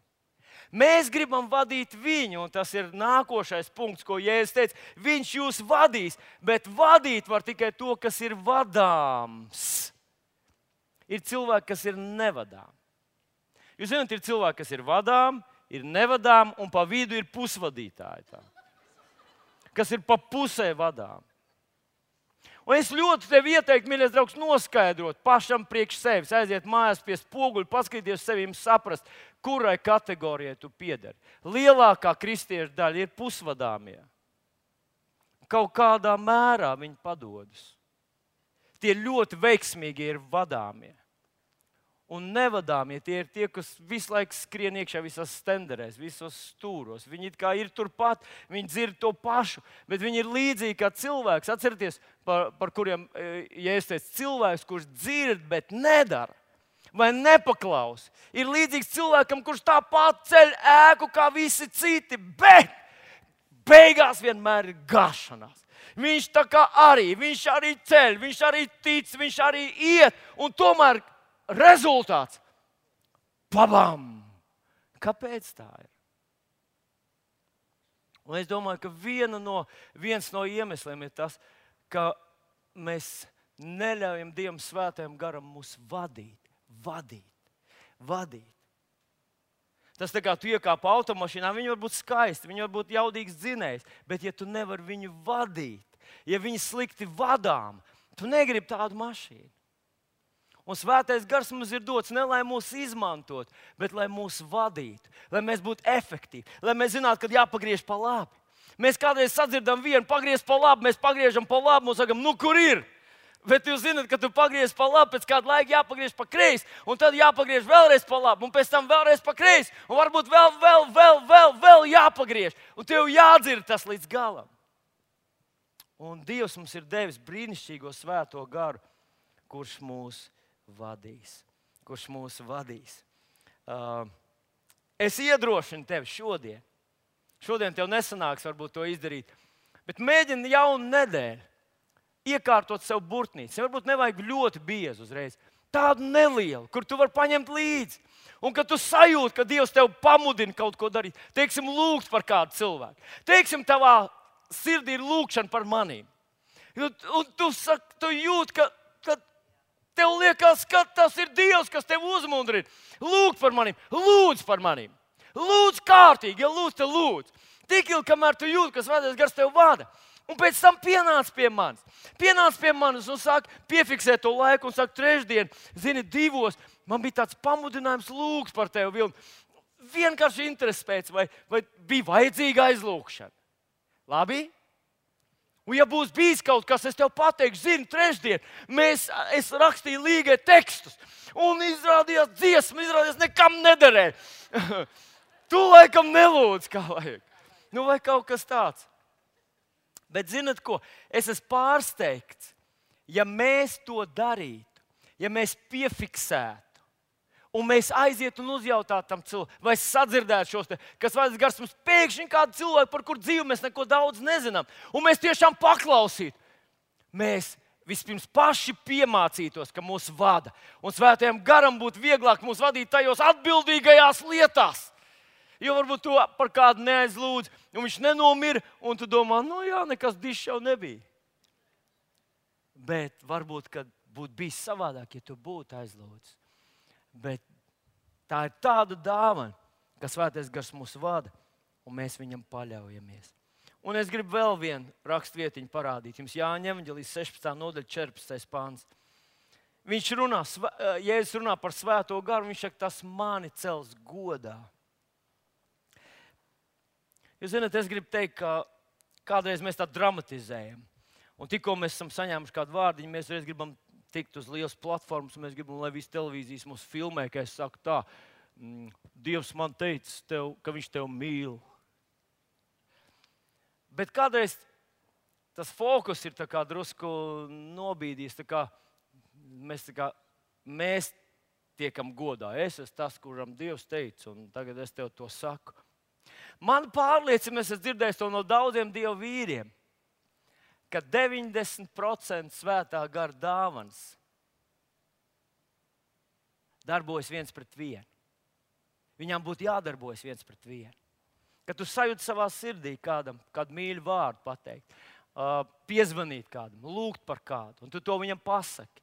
Mēs gribam vadīt viņu, un tas ir nākošais punkts, ko Jēzus teica. Viņš jūs vadīs, bet vadīt var tikai to, kas ir vadāms. Ir cilvēki, kas ir nevadām. Jūs zināt, ir cilvēki, kas ir vadām, ir nevadām, un pa vidu ir pusvadītāji. Tā. Kas ir pa pusē vadām. Un es ļoti tev ieteiktu, mīļais draugs, noskaidrot pašam priekš sevis, aiziet mājās pie spoguļa, paskatīties sevi un saprast, kurai kategorijai tu piederi. Lielākā kristiešu daļa ir pusvadāmie. Kaut kādā mērā viņi padodas. Tie ļoti veiksmīgi ir vadāmie. Un nevadāmie tie ir tie, kas visu laiku skrien iekšā visās stenderēs, visos stūros. Viņi it kā ir turpat, viņi dzird to pašu, bet viņi ir līdzīgi kā cilvēks. Atcerieties, par, par kuriem, ja es teicu, cilvēks, kurš dzird, bet nedara vai nepaklausa. Ir līdzīgs cilvēkam, kurš tāpat ceļ ēku kā visi citi, bet beigās vienmēr ir gāšanās. Viņš tā kā arī, viņš arī ceļ, viņš arī tic, viņš arī iet, un tomēr rezultāts – pabam! Kāpēc tā ir? Un es domāju, ka viena no, viens no iemesliem ir tas, ka mēs neļaujam Dievam svētajam garam mūs vadīt, vadīt, vadīt. Tas tā kā tu iekāp automašīnā, viņi var būt skaisti, viņi var būt jaudīgs dzinējs, bet ja tu nevari viņu vadīt, ja viņi slikti vadām, Tu negribi tādu mašīnu. Un Svētais Gars mums ir dots ne lai mūs izmantot, bet lai mūs vadītu, lai mēs būtu efektīvi, lai mēs zinātu, kad jāpagriež pa labi. Mēs kādreiz sadzirdam vienu, pagriež pa labi, mēs pagriežam pa labi, mums sakam, nu kur ir? Bet jūs zināt, ka tu pagriež pa labi, pēc kāda laika jāpagriež pa kreisi, un tad jāpagriež vēlreiz pa labi, un pēc tam vēlreiz pa kreisi, un varbūt vēl, vēl, vēl, vēl, vēl jāpagriež, un tev jādzird tas līdz galam. Un Dievs mums ir devis brīnišķīgo Svēto Garu, kurš mūs vadīs. Kurš mūs vadīs. Uh, es iedrošinu tevi šodien. Šodien tev nesanāks varbūt to izdarīt, bet mēģini jaunu nedēļu iekārtot sev burtnīci. Varbūt nevajag ļoti biezu uzreiz. Tādu nelielu, kur tu vari paņemt līdzi. Un kad tu sajūti, ka Dievs tev pamudina kaut ko darīt, teiksim, lūgt par kādu cilvēku. Teiksim, tavā sirdī ir lūgšana par manīm. Un, un tu, sak, tu jūti, ka, ka tev liekas, ka tas ir Dievs, kas tev uzmundrina. Lūgt par manīm, lūdz par manīm. Lūdz kārtīgi, ja lūdz, te lūdz. Tik ilgi, kamēr tu jūti, ka Svētais Gars tev vada. Un pēc tam pienāc pie manis. Pienāc pie manis un sāk piefiksēt to laiku un sāk trešdien, zini, divos. Man bija tāds pamudinājums lūgt par tevi, Vilni. Vienkārši interesi pēc, vai, vai bija vajadzīga aizlūgšana. Labi? Un ja būs bijis kaut kas, es tev pateikšu, zini, trešdien mēs, es rakstīju līgai tekstus. Un izrādījās dziesma, izrādījās nekam nederēja. Tu laikam nelūdz, kā vajag. Nu vai kaut kas tāds. Bet zinat ko? Es esmu pārsteigts, ja mēs to darītu, ja mēs piefiksētu, un mēs aizietu un uzjautātu tam cilvēkam, vai sadzirdētu šos te, kas Svētais Gars mums pēkšņi kādu cilvēku, par kur dzīvi mēs neko daudz nezinām, un mēs tiešām paklausītu. Mēs vispirms paši piemācītos, ka mūs vada, un Svētajam Garam būtu vieglāk mūs vadīt tajos atbildīgajās lietās. Jo varbūt tu par kādu neaizlūdz, un viņš nenomira, un tu domā, nu jā, nekas dišs jau nebija. Bet varbūt, kad būtu bijis savādāk, ja tu būtu aizlūdzis. Bet tā ir tāda dāvana, ka Svētais Gars mūs vada, un mēs viņam paļaujamies. Un es gribu vēl vienu rakstvietiņu parādīt. Jums Jāņa evaņģēlijas sešpadsmitā nodaļa četrpadsmitais pāns. Viņš runā, Jēzus runā par Svēto Garu, viņš saka, tas mani cels godā. Jūs zināt, es gribu teikt, ka kādreiz mēs tā dramatizējam. Un tikko mēs esam saņēmuši kādu vārdiņu, mēs reiz gribam tikt uz lielas platformas, un mēs gribam, lai visi televīzijas mūs filmē, ka es saku tā, Dievs man teica, tev, ka viņš tev mīl. Bet kādreiz tas fokus ir tā kā drusku nobīdījis, tā kā mēs, tā kā, mēs tiekam godā. Es esmu tas, kuram Dievs teica, un tagad es tev to saku. Man pārliecina, es esmu dzirdējis to no daudziem Dieva vīriem, ka deviņdesmit procenti Svētā Gara dāvanas darbojas viens pret vienu. Viņām būtu jādarbojas viens pret vienu. Kad tu sajūti savā sirdī kādam, kādu mīļu vārdu pateikt, uh, piezvanīt kādam, lūgt par kādu, un tu to viņam pasaki.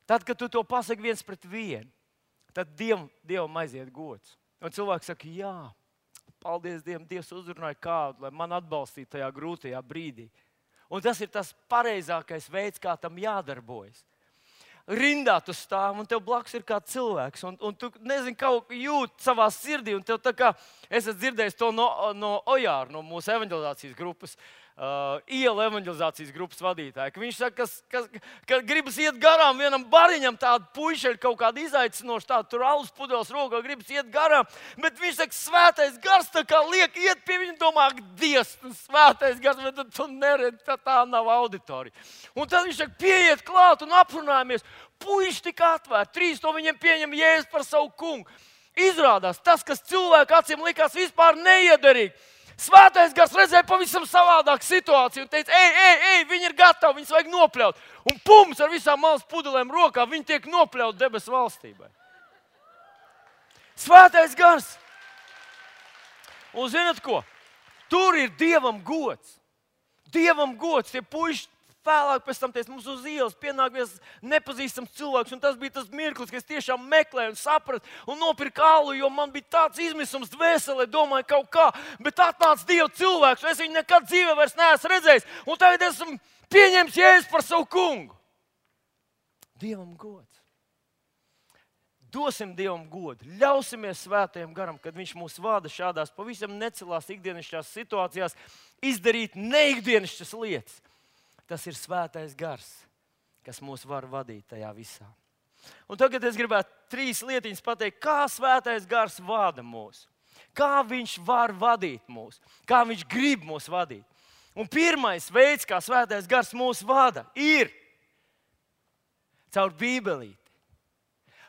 Tad, kad tu to pasaki viens pret vienu, tad Dievam, Dievam aiziet gods. Un cilvēks saka, jā, paldies Dievam, Dievs uzrunāja kādu, lai man atbalstītu tajā grūtajā brīdī. Un tas ir tas pareizākais veids, kā tam jādarbojas. Rindā tu stāv, un tev blakus ir kāds cilvēks, un, un tu nezini, kaut kā jūt savā sirdī, un tev tā kā, es esmu dzirdējis to no, no Ojāra, no mūsu evaņģelizācijas grupas, uh, iela evaņģelizācijas grupas vadītāja, ka viņš saka, ka, ka, ka gribas iet garām vienam bariņam, tādu puišeļu kaut kādu izaicinošu, tādu tur alus pudeles rokā, gribas iet garām, bet viņš saka, Svētais Gars tā kā liek iet pie viņa, domā, Dievs, Svētais Gars, bet tu neredzi, tā, tā nav auditorija. Un tad viņš saka, pieiet klāt un aprunājamies. Puiši tika atvērti, trīs no viņiem pieņem Jēzu par savu kungu. Izrādās, tas, kas cilvēku acīm likās vispār neiederīgi. Svētais Gars redzēja pavisam savādāku situāciju un teica, ej, ej, ej, viņi ir gatavi, viņus vajag nopļaut. Un pums ar visām malas pudelēm rokā, viņi tiek nopļaut debesu valstībai. Svētais Gars. Un zināt ko? Tur ir Dievam gods. Dievam gods, tie puiši. Vēlāk pēc tam teica, mums uz ielas pienāk viens nepazīstams cilvēks, un tas bija tas mirklis, ka es tiešām meklēju un sapratu un nopirku alu, jo man bija tāds izmisums dvēselē, domāju kaut kā, bet atnāca Dieva cilvēks, un es viņu nekad dzīvē vairs neesmu redzējis, un tagad esmu pieņems Jēzu par savu kungu. Dievam gods. Dosim Dievam godu, ļausimies Svētajam garam, kad Viņš mūs vada šādās pavisam necilās ikdienišķās situācijās, izdarīt neikdienišķas lietas. Tas ir Svētais gars, kas mūs var vadīt tajā visā. Un tagad es gribētu trīs lietiņas pateikt, kā Svētais gars vada mūs, kā Viņš var vadīt mūs, kā Viņš grib mūs vadīt. Un pirmais veids, kā Svētais gars mūs vada, ir caur Bībelīti.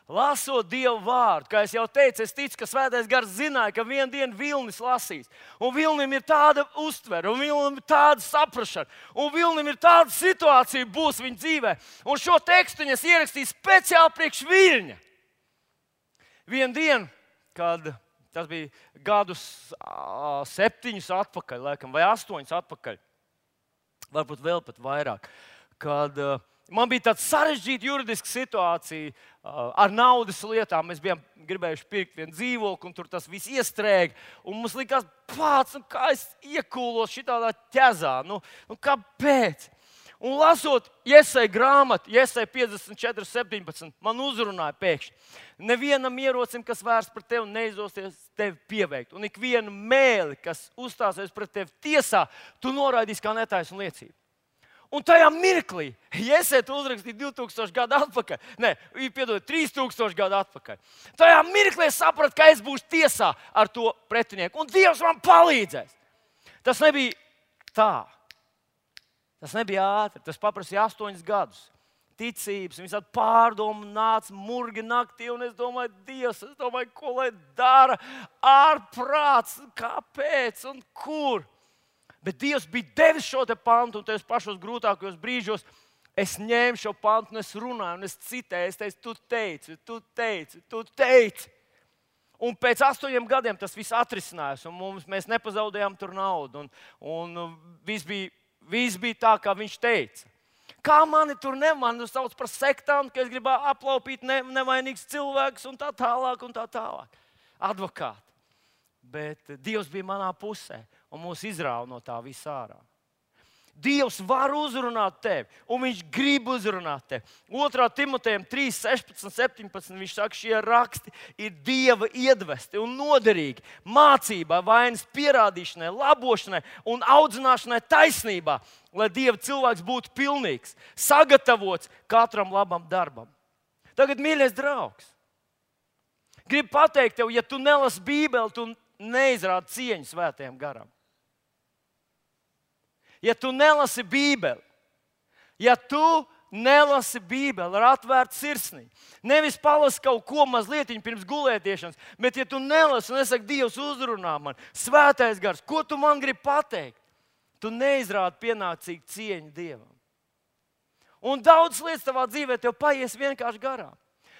Lasot Dievu vārdu, kā es jau teicu, es ticu, ka Svētais gars zināja, ka vienu dienu Vilnis lasīs. Un Vilnim ir tāda uztvere, un Vilnim ir tāda saprašana, un Vilnim ir tāda situācija būs viņa dzīvē. Un šo tekstu es ierakstīju speciāli priekš Viļņa. Vienu dienu, kad tas bija gadus septiņus atpakaļ, laikam, vai astoņus atpakaļ, varbūt vēl pat vairāk, kad uh, man bija tāda sarežģīta juridiska situācija uh, ar naudas lietām. Mēs bijām gribējuši pirkt vienu dzīvokli, un tur tas viss iestrēga. Un mums likās, pats, nu, kā es iekūlos šitādā ķezā. Nu, nu, kāpēc? Un lasot Jesaja grāmatu, Jesaja piecdesmit četri septiņpadsmit, man uzrunāja pēkšņi. Nevienam ierocim, kas vērsts pret tevi, neizdosies tevi pieveikt. Un ikvienu mēli, kas uzstāsies pret tevi tiesā, tu noraidīsi kā netaisnu liecību. Un tajā mirklī, ja es to uzrakstīju divi tūkstoši gadu atpakaļ, ne, piedod, trīs tūkstoši gadu atpakaļ, tajā mirklī es sapratu, ka es būšu tiesā ar to pretinieku. Un Dievs man palīdzēs. Tas nebija tā. Tas nebija ātri. Tas paprasīja astoņus gadus. Ticības, visādi pārdomu nāca murgi naktī, un es domāju, Dievs, es domāju, ko lai dara, ārprāts, kāpēc un kur. Bet Dievs bija devis šo te pantu, un tajos pašos grūtākajos brīžos es ņēmu šo pantu, un es runāju, un es citēju, es teicu, tu teici, tu teici, tu teici. Un pēc astoņiem gadiem tas viss atrisinājās, un mums, mēs nepazaudējām tur naudu, un, un viss bija, viss bija tā, kā viņš teica. Kā mani tur nemani sauc par sektantu, ka es gribu aplaupīt ne, nevainīgus cilvēkus un tā tālāk un tā tālāk. Advokāti. Bet Dievs bija manā pusē un mūs izrāva no tā visā ārā. Dievs var uzrunāt tevi, un Viņš grib uzrunāt tevi. otrā Timotejam trīs, sešpadsmit, septiņpadsmit viņš saka, šie raksti ir Dieva iedvesti un noderīgi mācībai, vainas pierādīšanai, labošanai un audzināšanai taisnībā, lai Dieva cilvēks būtu pilnīgs, sagatavots katram labam darbam. Tagad, mīļais draugs, gribu pateikt tev, ja tu nelasi Bībeli, tu neizrādi cieņu Svētajam garam. Ja tu nelasi Bībeli, ja tu nelasi Bībeli ar atvērtu sirsniņu, nevis palasi kaut ko mazliet pirms gulētiešanas, bet ja tu nelasi un nesaki, Dievs uzrunā man, Svētais gars, ko tu man gribi pateikt? Tu neizrādi pienācīgu cieņu Dievam. Un daudz lietas tavā dzīvē tev paies vienkārši garām.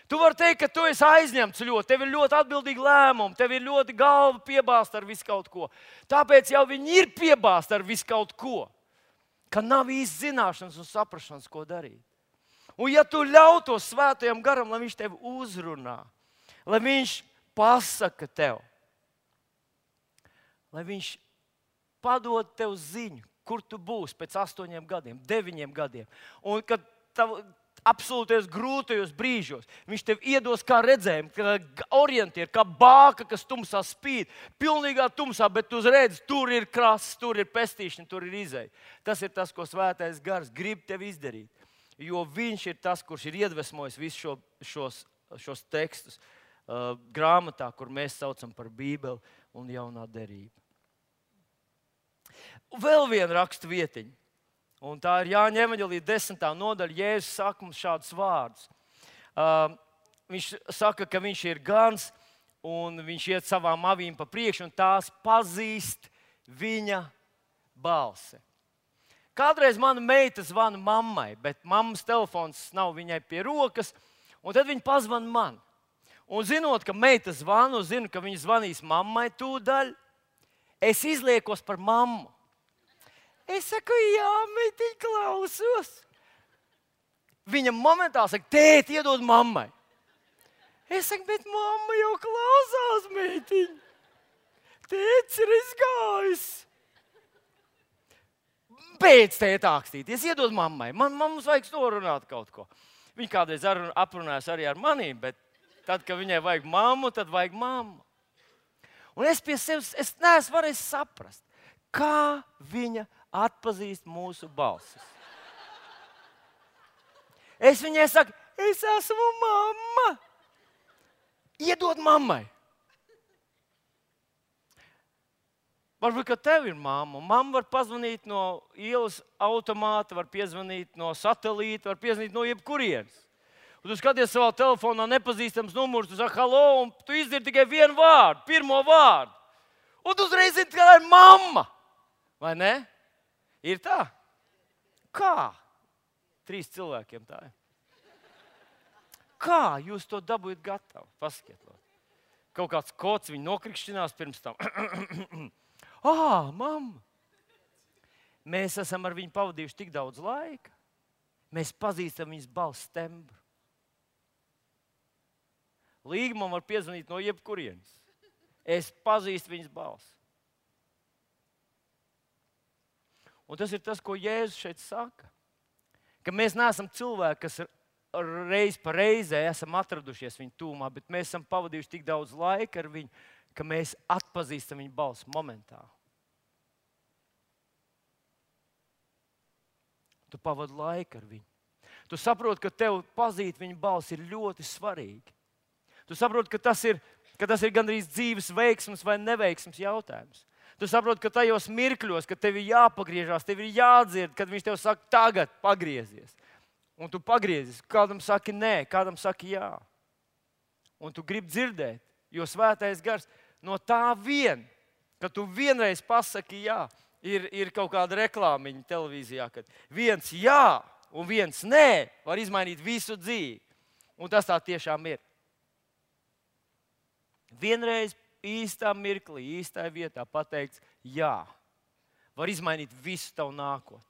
Tu vari teikt, ka tu esi aizņemts ļoti, tev ir ļoti atbildīgi lēmumi, tev ir ļoti galva piebāzta ar visu kaut ko. Tāpēc jau viņi ir piebāzti ar visu kaut ko, ka nav īsti zināšanas un saprašanas, ko darīt. Un ja tu ļautos Svētajam garam, lai viņš tevi uzrunā, lai viņš pasaka tev, lai viņš padod tev ziņu, kur tu būsi pēc astoņiem gadiem, deviņiem gadiem, un kad tav, absolūties grūtajos brīžos. Viņš tev iedos kā redzējumu, kā orientieru, kā bāka, kas tumsā spīd. Pilnīgā tumsā, bet tu redzi, tur ir krasts, tur ir pestīšana, tur ir izeja. Tas ir tas, ko Svētais gars grib tev izdarīt. Jo viņš ir tas, kurš ir iedvesmojis visus šo, šos, šos tekstus uh, grāmatā, kur mēs saucam par Bībeli un jaunā derība. Vēl viena rakstu vietiņa. Un tā ir Jāņa evaņģēlija desmitā nodaļa. Jēzus saka mums šādus vārdus. Uh, viņš saka, ka viņš ir gans, un viņš iet savām avīm pa priekšu, un tās pazīst viņa balsi. Kādreiz mana meita zvana mammai, bet mammas telefons nav viņai pie rokas, un tad viņa pazvana man. Un zinot, ka meita zvana, un zinu, ka viņa zvanīs mammai tūdaļ, es izliekos par mammu. Es saku, jā, meitiņ, klausos. Viņa momentā saka, tēt, iedod mammai. Es saku, bet mamma jau klausās, meitiņ. Tēts ir izgājis. Beidz tēt ākstīties, iedod mammai. Man, man mums vajag norunāt kaut ko. Viņa kādreiz aprunājas arī ar manīm, bet tad, kad viņai vajag mammu, tad vajag mammu. Un es pie sevis, es neesmu varējis saprast, kā viņa atpazīst mūsu balsis. Es viņai saku, es esmu mamma. Iedod mammai. Varbūt, ka tev ir mamma. Mamma var pazvanīt no ielas automāta, var piezvanīt no satelīta, var piezvanīt no jebkurienes. Un tu skaties savā telefonā nepazīstams numurs, tu saki, halo, un tu izdzirdi tikai vienu vārdu, pirmo vārdu. Un tu uzreiz zini, ka tā ir mamma. Vai ne? Ir tā? Kā? Trīs cilvēkiem tā ir. Kā jūs to dabūjat gatavu? Paskatiet. Kaut kāds kods viņu nokrikšķinās pirms tam. Ah, mamma! Mēs esam ar viņu pavadījuši tik daudz laika. Mēs pazīstam viņas balss tembru. Līga man var piezvanīt no jebkurienes. Es pazīstu viņas balsi. Un tas ir tas, ko Jēzus šeit saka. Ka mēs neesam cilvēki, kas reiz pa reizē esam atradušies viņa tūmā, bet mēs esam pavadījuši tik daudz laika ar viņu, ka mēs atpazīstam viņa balsi momentā. Tu pavadi laiku ar viņu. Tu saproti, ka tev pazīt viņa balsi ir ļoti svarīgi. Tu saproti, ka tas ir, ka tas ir gandrīz dzīves veiksmes vai neveiksmes jautājums. Tu saproti, ka tajos mirkļos, kad tev ir jāpagriežās, tev ir jādzird, kad viņš tev saka, tagad pagriezies. Un tu pagriezies. Kādam saki nē, kādam saki jā. Un tu gribi dzirdēt, jo svētais gars no tā vien, ka tu vienreiz pasaki jā, ir, ir kaut kāda reklāmiņa televīzijā, kad viens jā un viens nē var izmainīt visu dzīvi. Un tas tā tiešām ir. Vienreiz īstā mirklī, īstā vietā pateikts jā, var izmainīt visu tavu nākotni.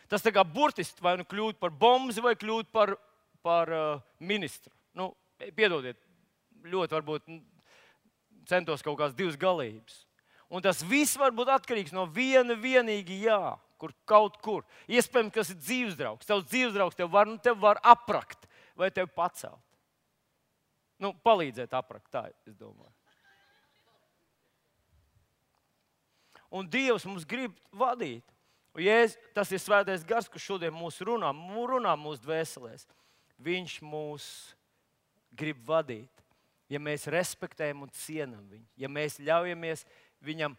Tas tā kā burtiski vai nu kļūt par bomzi vai kļūt par, par uh, ministru. Nu, piedodiet, ļoti varbūt centos kaut kādas divas galības. Un tas viss var būt atkarīgs no viena vienīgi jā, kur kaut kur. Iespējams, kas ir dzīvesdraugs. Tavs dzīvesdraugs tev var, nu, tev var aprakt vai tev pacelt. Nu, palīdzēt aprakt, tā es domāju. Un Dievs mums grib vadīt. Un Jēzus, tas ir svētais gars, kurš šodien mūs runā, runā mūsu dvēselēs. Viņš mūs grib vadīt. Ja mēs respektējam un cienam viņu, ja mēs ļaujamies viņam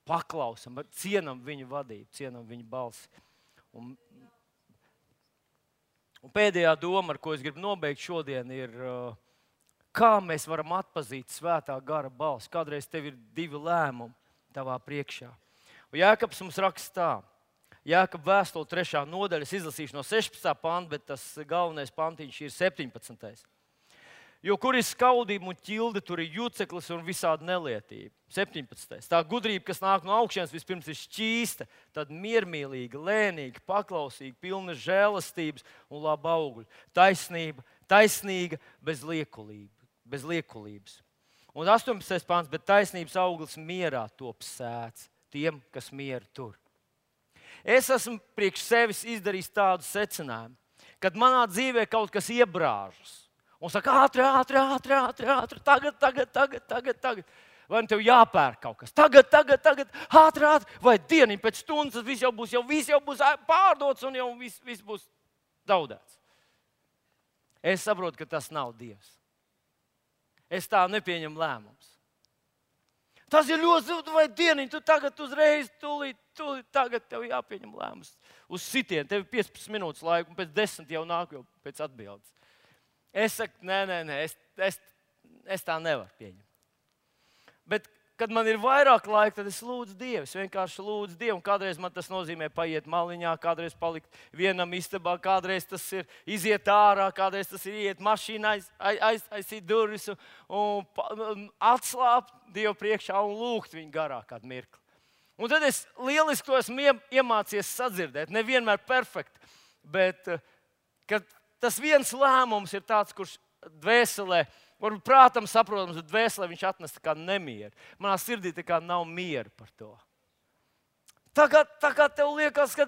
paklausam, cienam viņu vadību, cienam viņu balsi. Un, un pēdējā doma, ar ko es gribu nobeigt šodien, ir, kā mēs varam atpazīt svētā gara balsi. Kādreiz tev ir divi lēmumi tavā priekšā. Un Jākabs mums raksta tā. Jākaba vēstule trešā nodaļa, es izlasīšu no sešpadsmitā panta, bet tas galvenais pantiņš ir septiņpadsmitais. Jo kur ir skaudība un ķilde, tur ir juceklis un visāda nelietība. septiņpadsmitais. Tā gudrība, kas nāk no augšienes, vispirms ir šķīsta, tad miermīlīga, lēnīga, paklausīga, pilna žēlastības un laba augļa. Taisnība, taisnīga, bez liekulība, bez liekulības. Un astoņpadsmitais pants, bet taisnības auglis mierā top sēts tiem, kas mieru tur. Es esmu priekš sevis izdarījis tādu secinājumu, kad manā dzīvē kaut kas iebrāžas. Un saka, ātri, ātri, ātri, ātri, ātri, tagad, tagad, tagad, tagad, tagad. Vai tev jāpērk kaut kas? Tagad, tagad, tagad, ātri, ātri. Vai dieniņ pēc stundas viss jau būs, jau viss jau būs pārdots un jau viss, viss būs zaudēts. Es saprotu, ka tas nav Dievs. Es tā nepieņemu lēmumus. Tas ir ļoti, vai dieniņ, tu tagad uzreiz, tūlīt, tūlīt, tagad tev jāpieņem lēmums. Uz sitienu, tev ir piecpadsmit minūtes laika, un pēc desmit jau nāk jau pēc atbildes. Es saku, nē, nē, nē, es, es, es tā nevaru pieņemt. Bet, kad man ir vairāk laika, tad es lūdzu Dievu. Es vienkārši lūdzu Dievu. Un kādreiz man tas nozīmē paiet maliņā, kādreiz palikt vienam istabā, kādreiz tas ir iziet ārā, kādreiz tas ir iet mašīnā, aiz, aiz, aizsīt durvis un, un atslāpt Dievu priekšā un lūgt viņu garā kādu mirkli. Un tad es lieliski to esmu iemācījies sadzirdēt. Nevienmēr perfekti, bet kad tas viens lēmums ir tāds, kurš dvēselē, varbūt prātam saprotams, bet dvēselē viņš atnes tā kā nemieru. Manā sirdī tā kā nav miera par to. tā kā, tā kā tev liekas, ka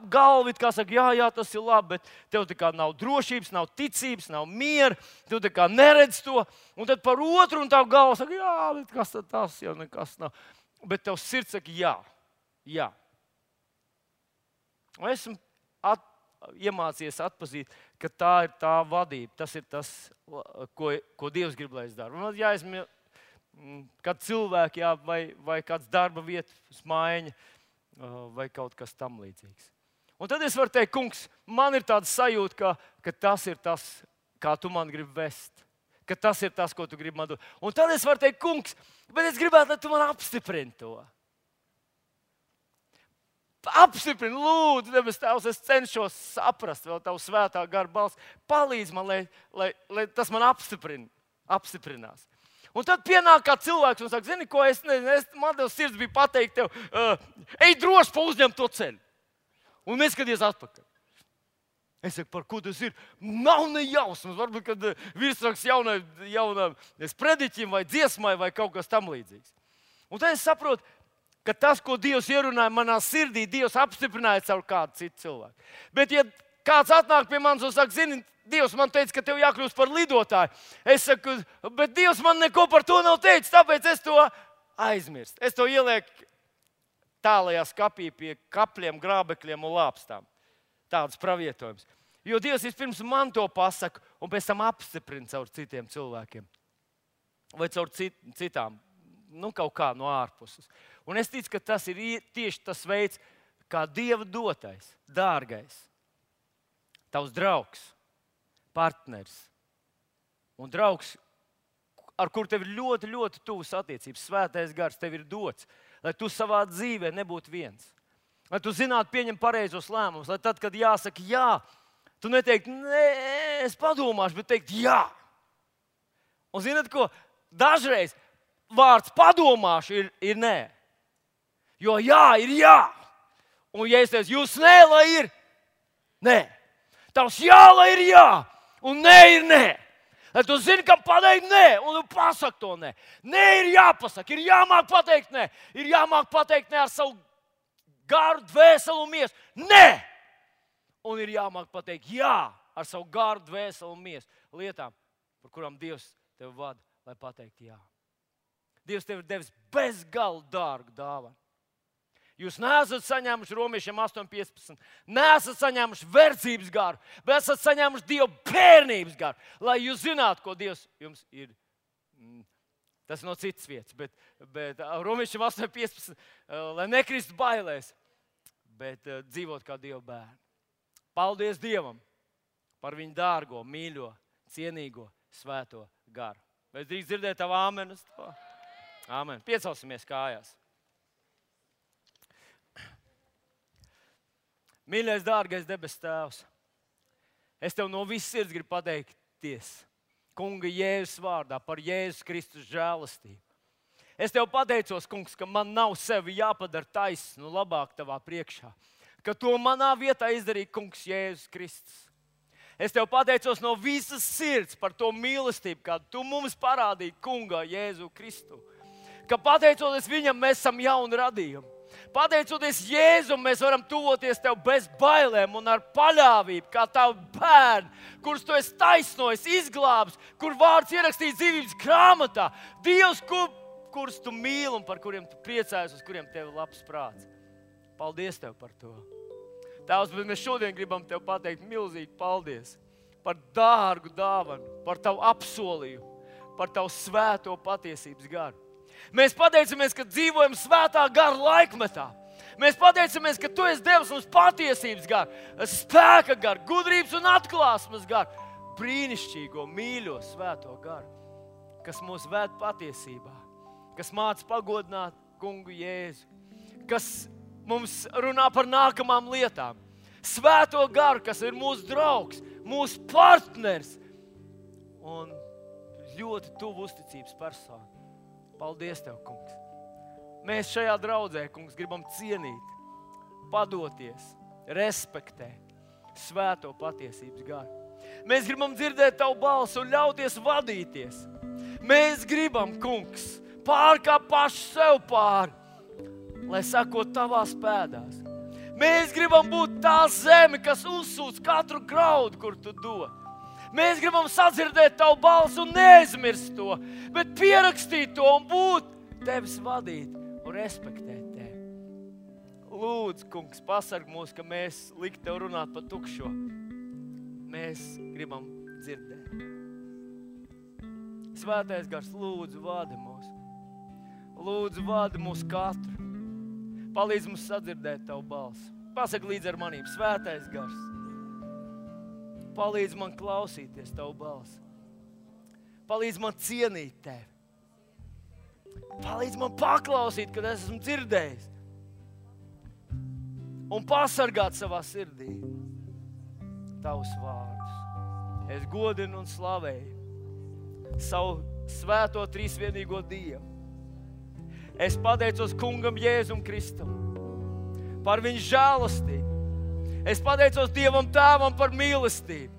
galva, kā saka, jā, jā, tas ir labi, bet tev tā kā nav drošības, nav ticības, nav miera, tu tā kā neredz to, un tad par otru un tavu galvu saka, jā, bet kas tad tas jau nekas nav. Bet tev sirds saka, jā, jā. Un esmu at, iemācījies atpazīt, ka tā ir tā vadība, tas ir tas, ko, ko Dievs grib, lai es daru. Un ja esmu kāds cilvēks, jā, vai, vai kāds darba vietas maiņa, vai kaut kas tam līdzīgs. Un tad es varu teikt, kungs, man ir tāda sajūta, ka, ka tas ir tas, kā tu man gribi vest. Ka tas ir tas, ko tu gribi man dot. Un tad es varu teikt, kungs, bet es gribētu, lai tu man apstiprini to. Apstiprini, lūdzu, debes Tēvs, es cenšos saprast vēl tavu svētā gara balsi. Palīdz man, lai, lai, lai tas man apstiprina, apstiprinās. Un tad pienāk kā cilvēks un saka, zini, ko es nezinu, es, man tev sirds bija pateikt tev, uh, ej droši pa uzņem to ceļu. Un neskaties atpakaļ. Es saku, par ko tas ir? Nav ne jausmas. Varbūt, kad virsraksts jaunai, jaunam sprediķim vai dziesmai vai kaut kas tam līdzīgs. Un tad es saprotu, ka tas, ko Dievs ierunāja manā sirdī, Dievs apstiprināja caur kādu citu cilvēku. Bet ja kāds atnāk pie manis un saka, zini, Dievs man teica, ka tev jākļūst par lidotāju. Es saku, bet Dievs man neko par to nav teicis, tāpēc es to aizmirstu. Es to ielieku tālajā skapī pie kapļiem, grābekļiem un lāpstām. Tāds pravietojums. Jo Dievs vispirms man to pasaka un pēc tam apstiprina caur citiem cilvēkiem. Vai caur cit, citām, nu kaut kā no ārpuses. Un es ticu, ka tas ir tieši tas veids, kā Dieva dotais, dārgais, tavs draugs, partners un draugs, ar kuru tev ir ļoti, ļoti tuvas attiecības. Svētais gars tev ir dots, lai tu savā dzīvē nebūtu viens. Lai tu zinātu pieņemt pareizos lēmumus, lai tad, kad jāsaka jā, tu neteiktu, nē, es padomāšu, bet teikt jā. Un zināt ko? Dažreiz vārds padomāšu ir, ir nē. Jo jā ir jā. Un ja es teicu, jūs nē, lai ir nē. Tavs jā, lai ir jā. Un nē ir nē. Lai tu zini, kam pateikt nē, un tu pasaki to nē. Nē ir jāpasaka, ir jāmāk pateikt nē. Ir jāmāk pateikt nē ar savu garu, dvēseli un miesu. Nē! Un ir jāmāk pateikt jā ar savu garu, dvēseli un miesu lietām, par kurām Dievs tev vada, lai pateikt jā. Dievs tev ir devis bezgalīgi dārgu dāvanu. Jūs neesat saņēmuši romiešiem astoņi piecpadsmit, neesat saņēmuši verdzības garu, bet esat saņēmuši Dieva bērnības garu, lai jūs zinātu, ko Dievs jums ir. Tas no citas vietas, bet, bet romiešiem astoņi piecpadsmit, lai nekristu bailēs, bet dzīvot kā Dieva bērni. Paldies Dievam par viņu dārgo, mīļo, cienīgo, svēto garu. Vai es drīkst dzirdēt tavu āmenu? Āmen. Piecelsimies kājās. Mīļais, dārgais debes Tēvs, es tev no visas sirds gribu pateikties Kunga Jēzus vārdā par Jēzus Kristus žēlastību. Es tev pateicos, kungs, ka man nav sevi jāpadara taisnu labāk tavā priekšā, ka to manā vietā izdarīja kungs Jēzus Kristus. Es tev pateicos no visas sirds par to mīlestību, kādu tu mums parādīji Kungā Jēzu Kristu. Ka pateicoties viņam, mēs esam jauni radījumi. Pateicoties Jēzum, mēs varam tuvoties tev bez bailēm un ar paļāvību, kā tavi bērni, kurus tu esi taisnojis, izglābis, kur vārds ierakstīts dzīvības grāmatā. Dievs, kur, kurus tu mīli un par kuriem tu priecājies, uz kuriem tev ir labs prāts. Paldies tev par to. Tēvs, bet mēs šodien gribam tev pateikt milzīgi paldies par dārgu dāvanu, par tavu apsolījumu, par tavu svēto patiesības garu. Mēs pateicamies, ka dzīvojam svētā gara laikmetā. Mēs pateicamies, ka tu esi devis mums patiesības garu, spēka garu, gudrības un atklāsmes garu, brīnišķīgo, mīļo, svēto garu, kas mūs ved patiesībā, kas māca pagodināt kungu Jēzu, kas mums runā par nākamām lietām. Svēto garu, kas ir mūsu draugs, mūsu partners un ļoti tuvu uzticības persona. Paldies tev, kungs. Mēs šajā draudzē, kungs, gribam cienīt, padoties, respektēt svēto patiesības garu. Mēs gribam dzirdēt tavu balsi un ļauties vadīties. Mēs gribam, kungs, pārkāpt paši sev pāri, lai sakot tavās pēdās. Mēs gribam būt tā zeme, kas uzsūc katru graudu, kur tu dod. Mēs gribam sadzirdēt tavu balsi un neaizmirst to, bet pierakstīt to un būt tevis vadīt un respektēt tevi. Lūdzu, kungs, pasarg mūs, ka mēs likt tev runāt par tukšo. Mēs gribam dzirdēt. Svētais Gars, lūdzu, vadi mūs. Lūdzu, vadi mūs katru. Palīdz mums sadzirdēt tavu balsi. Pasaki līdz ar manīm, Svētais Gars. Palīdz man klausīties tavu balsi. Palīdz man cienīt tevi. Palīdz man paklausīt, kad es esmu dzirdējis. Un pasargāt savā sirdī tavus vārdus. Es godinu un slavēju savu svēto trīsvienīgo Dievu. Es pateicos kungam Jēzum Kristum par viņa žēlastību. Es pateicos Dievam Tēvam par mīlestību.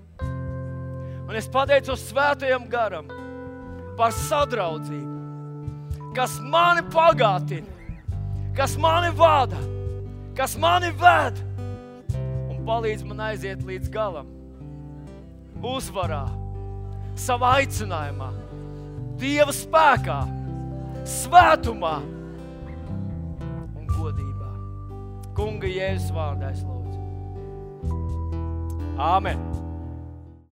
Un es pateicos Svētajam Garam par sadraudzību, kas mani pagātina, kas mani vada, kas mani ved un palīdz man aiziet līdz galam, uzvarā, savā aicinājumā, Dieva spēkā, svētumā un godībā. Kunga Jēzus vārdā es lūdzu. Āmen.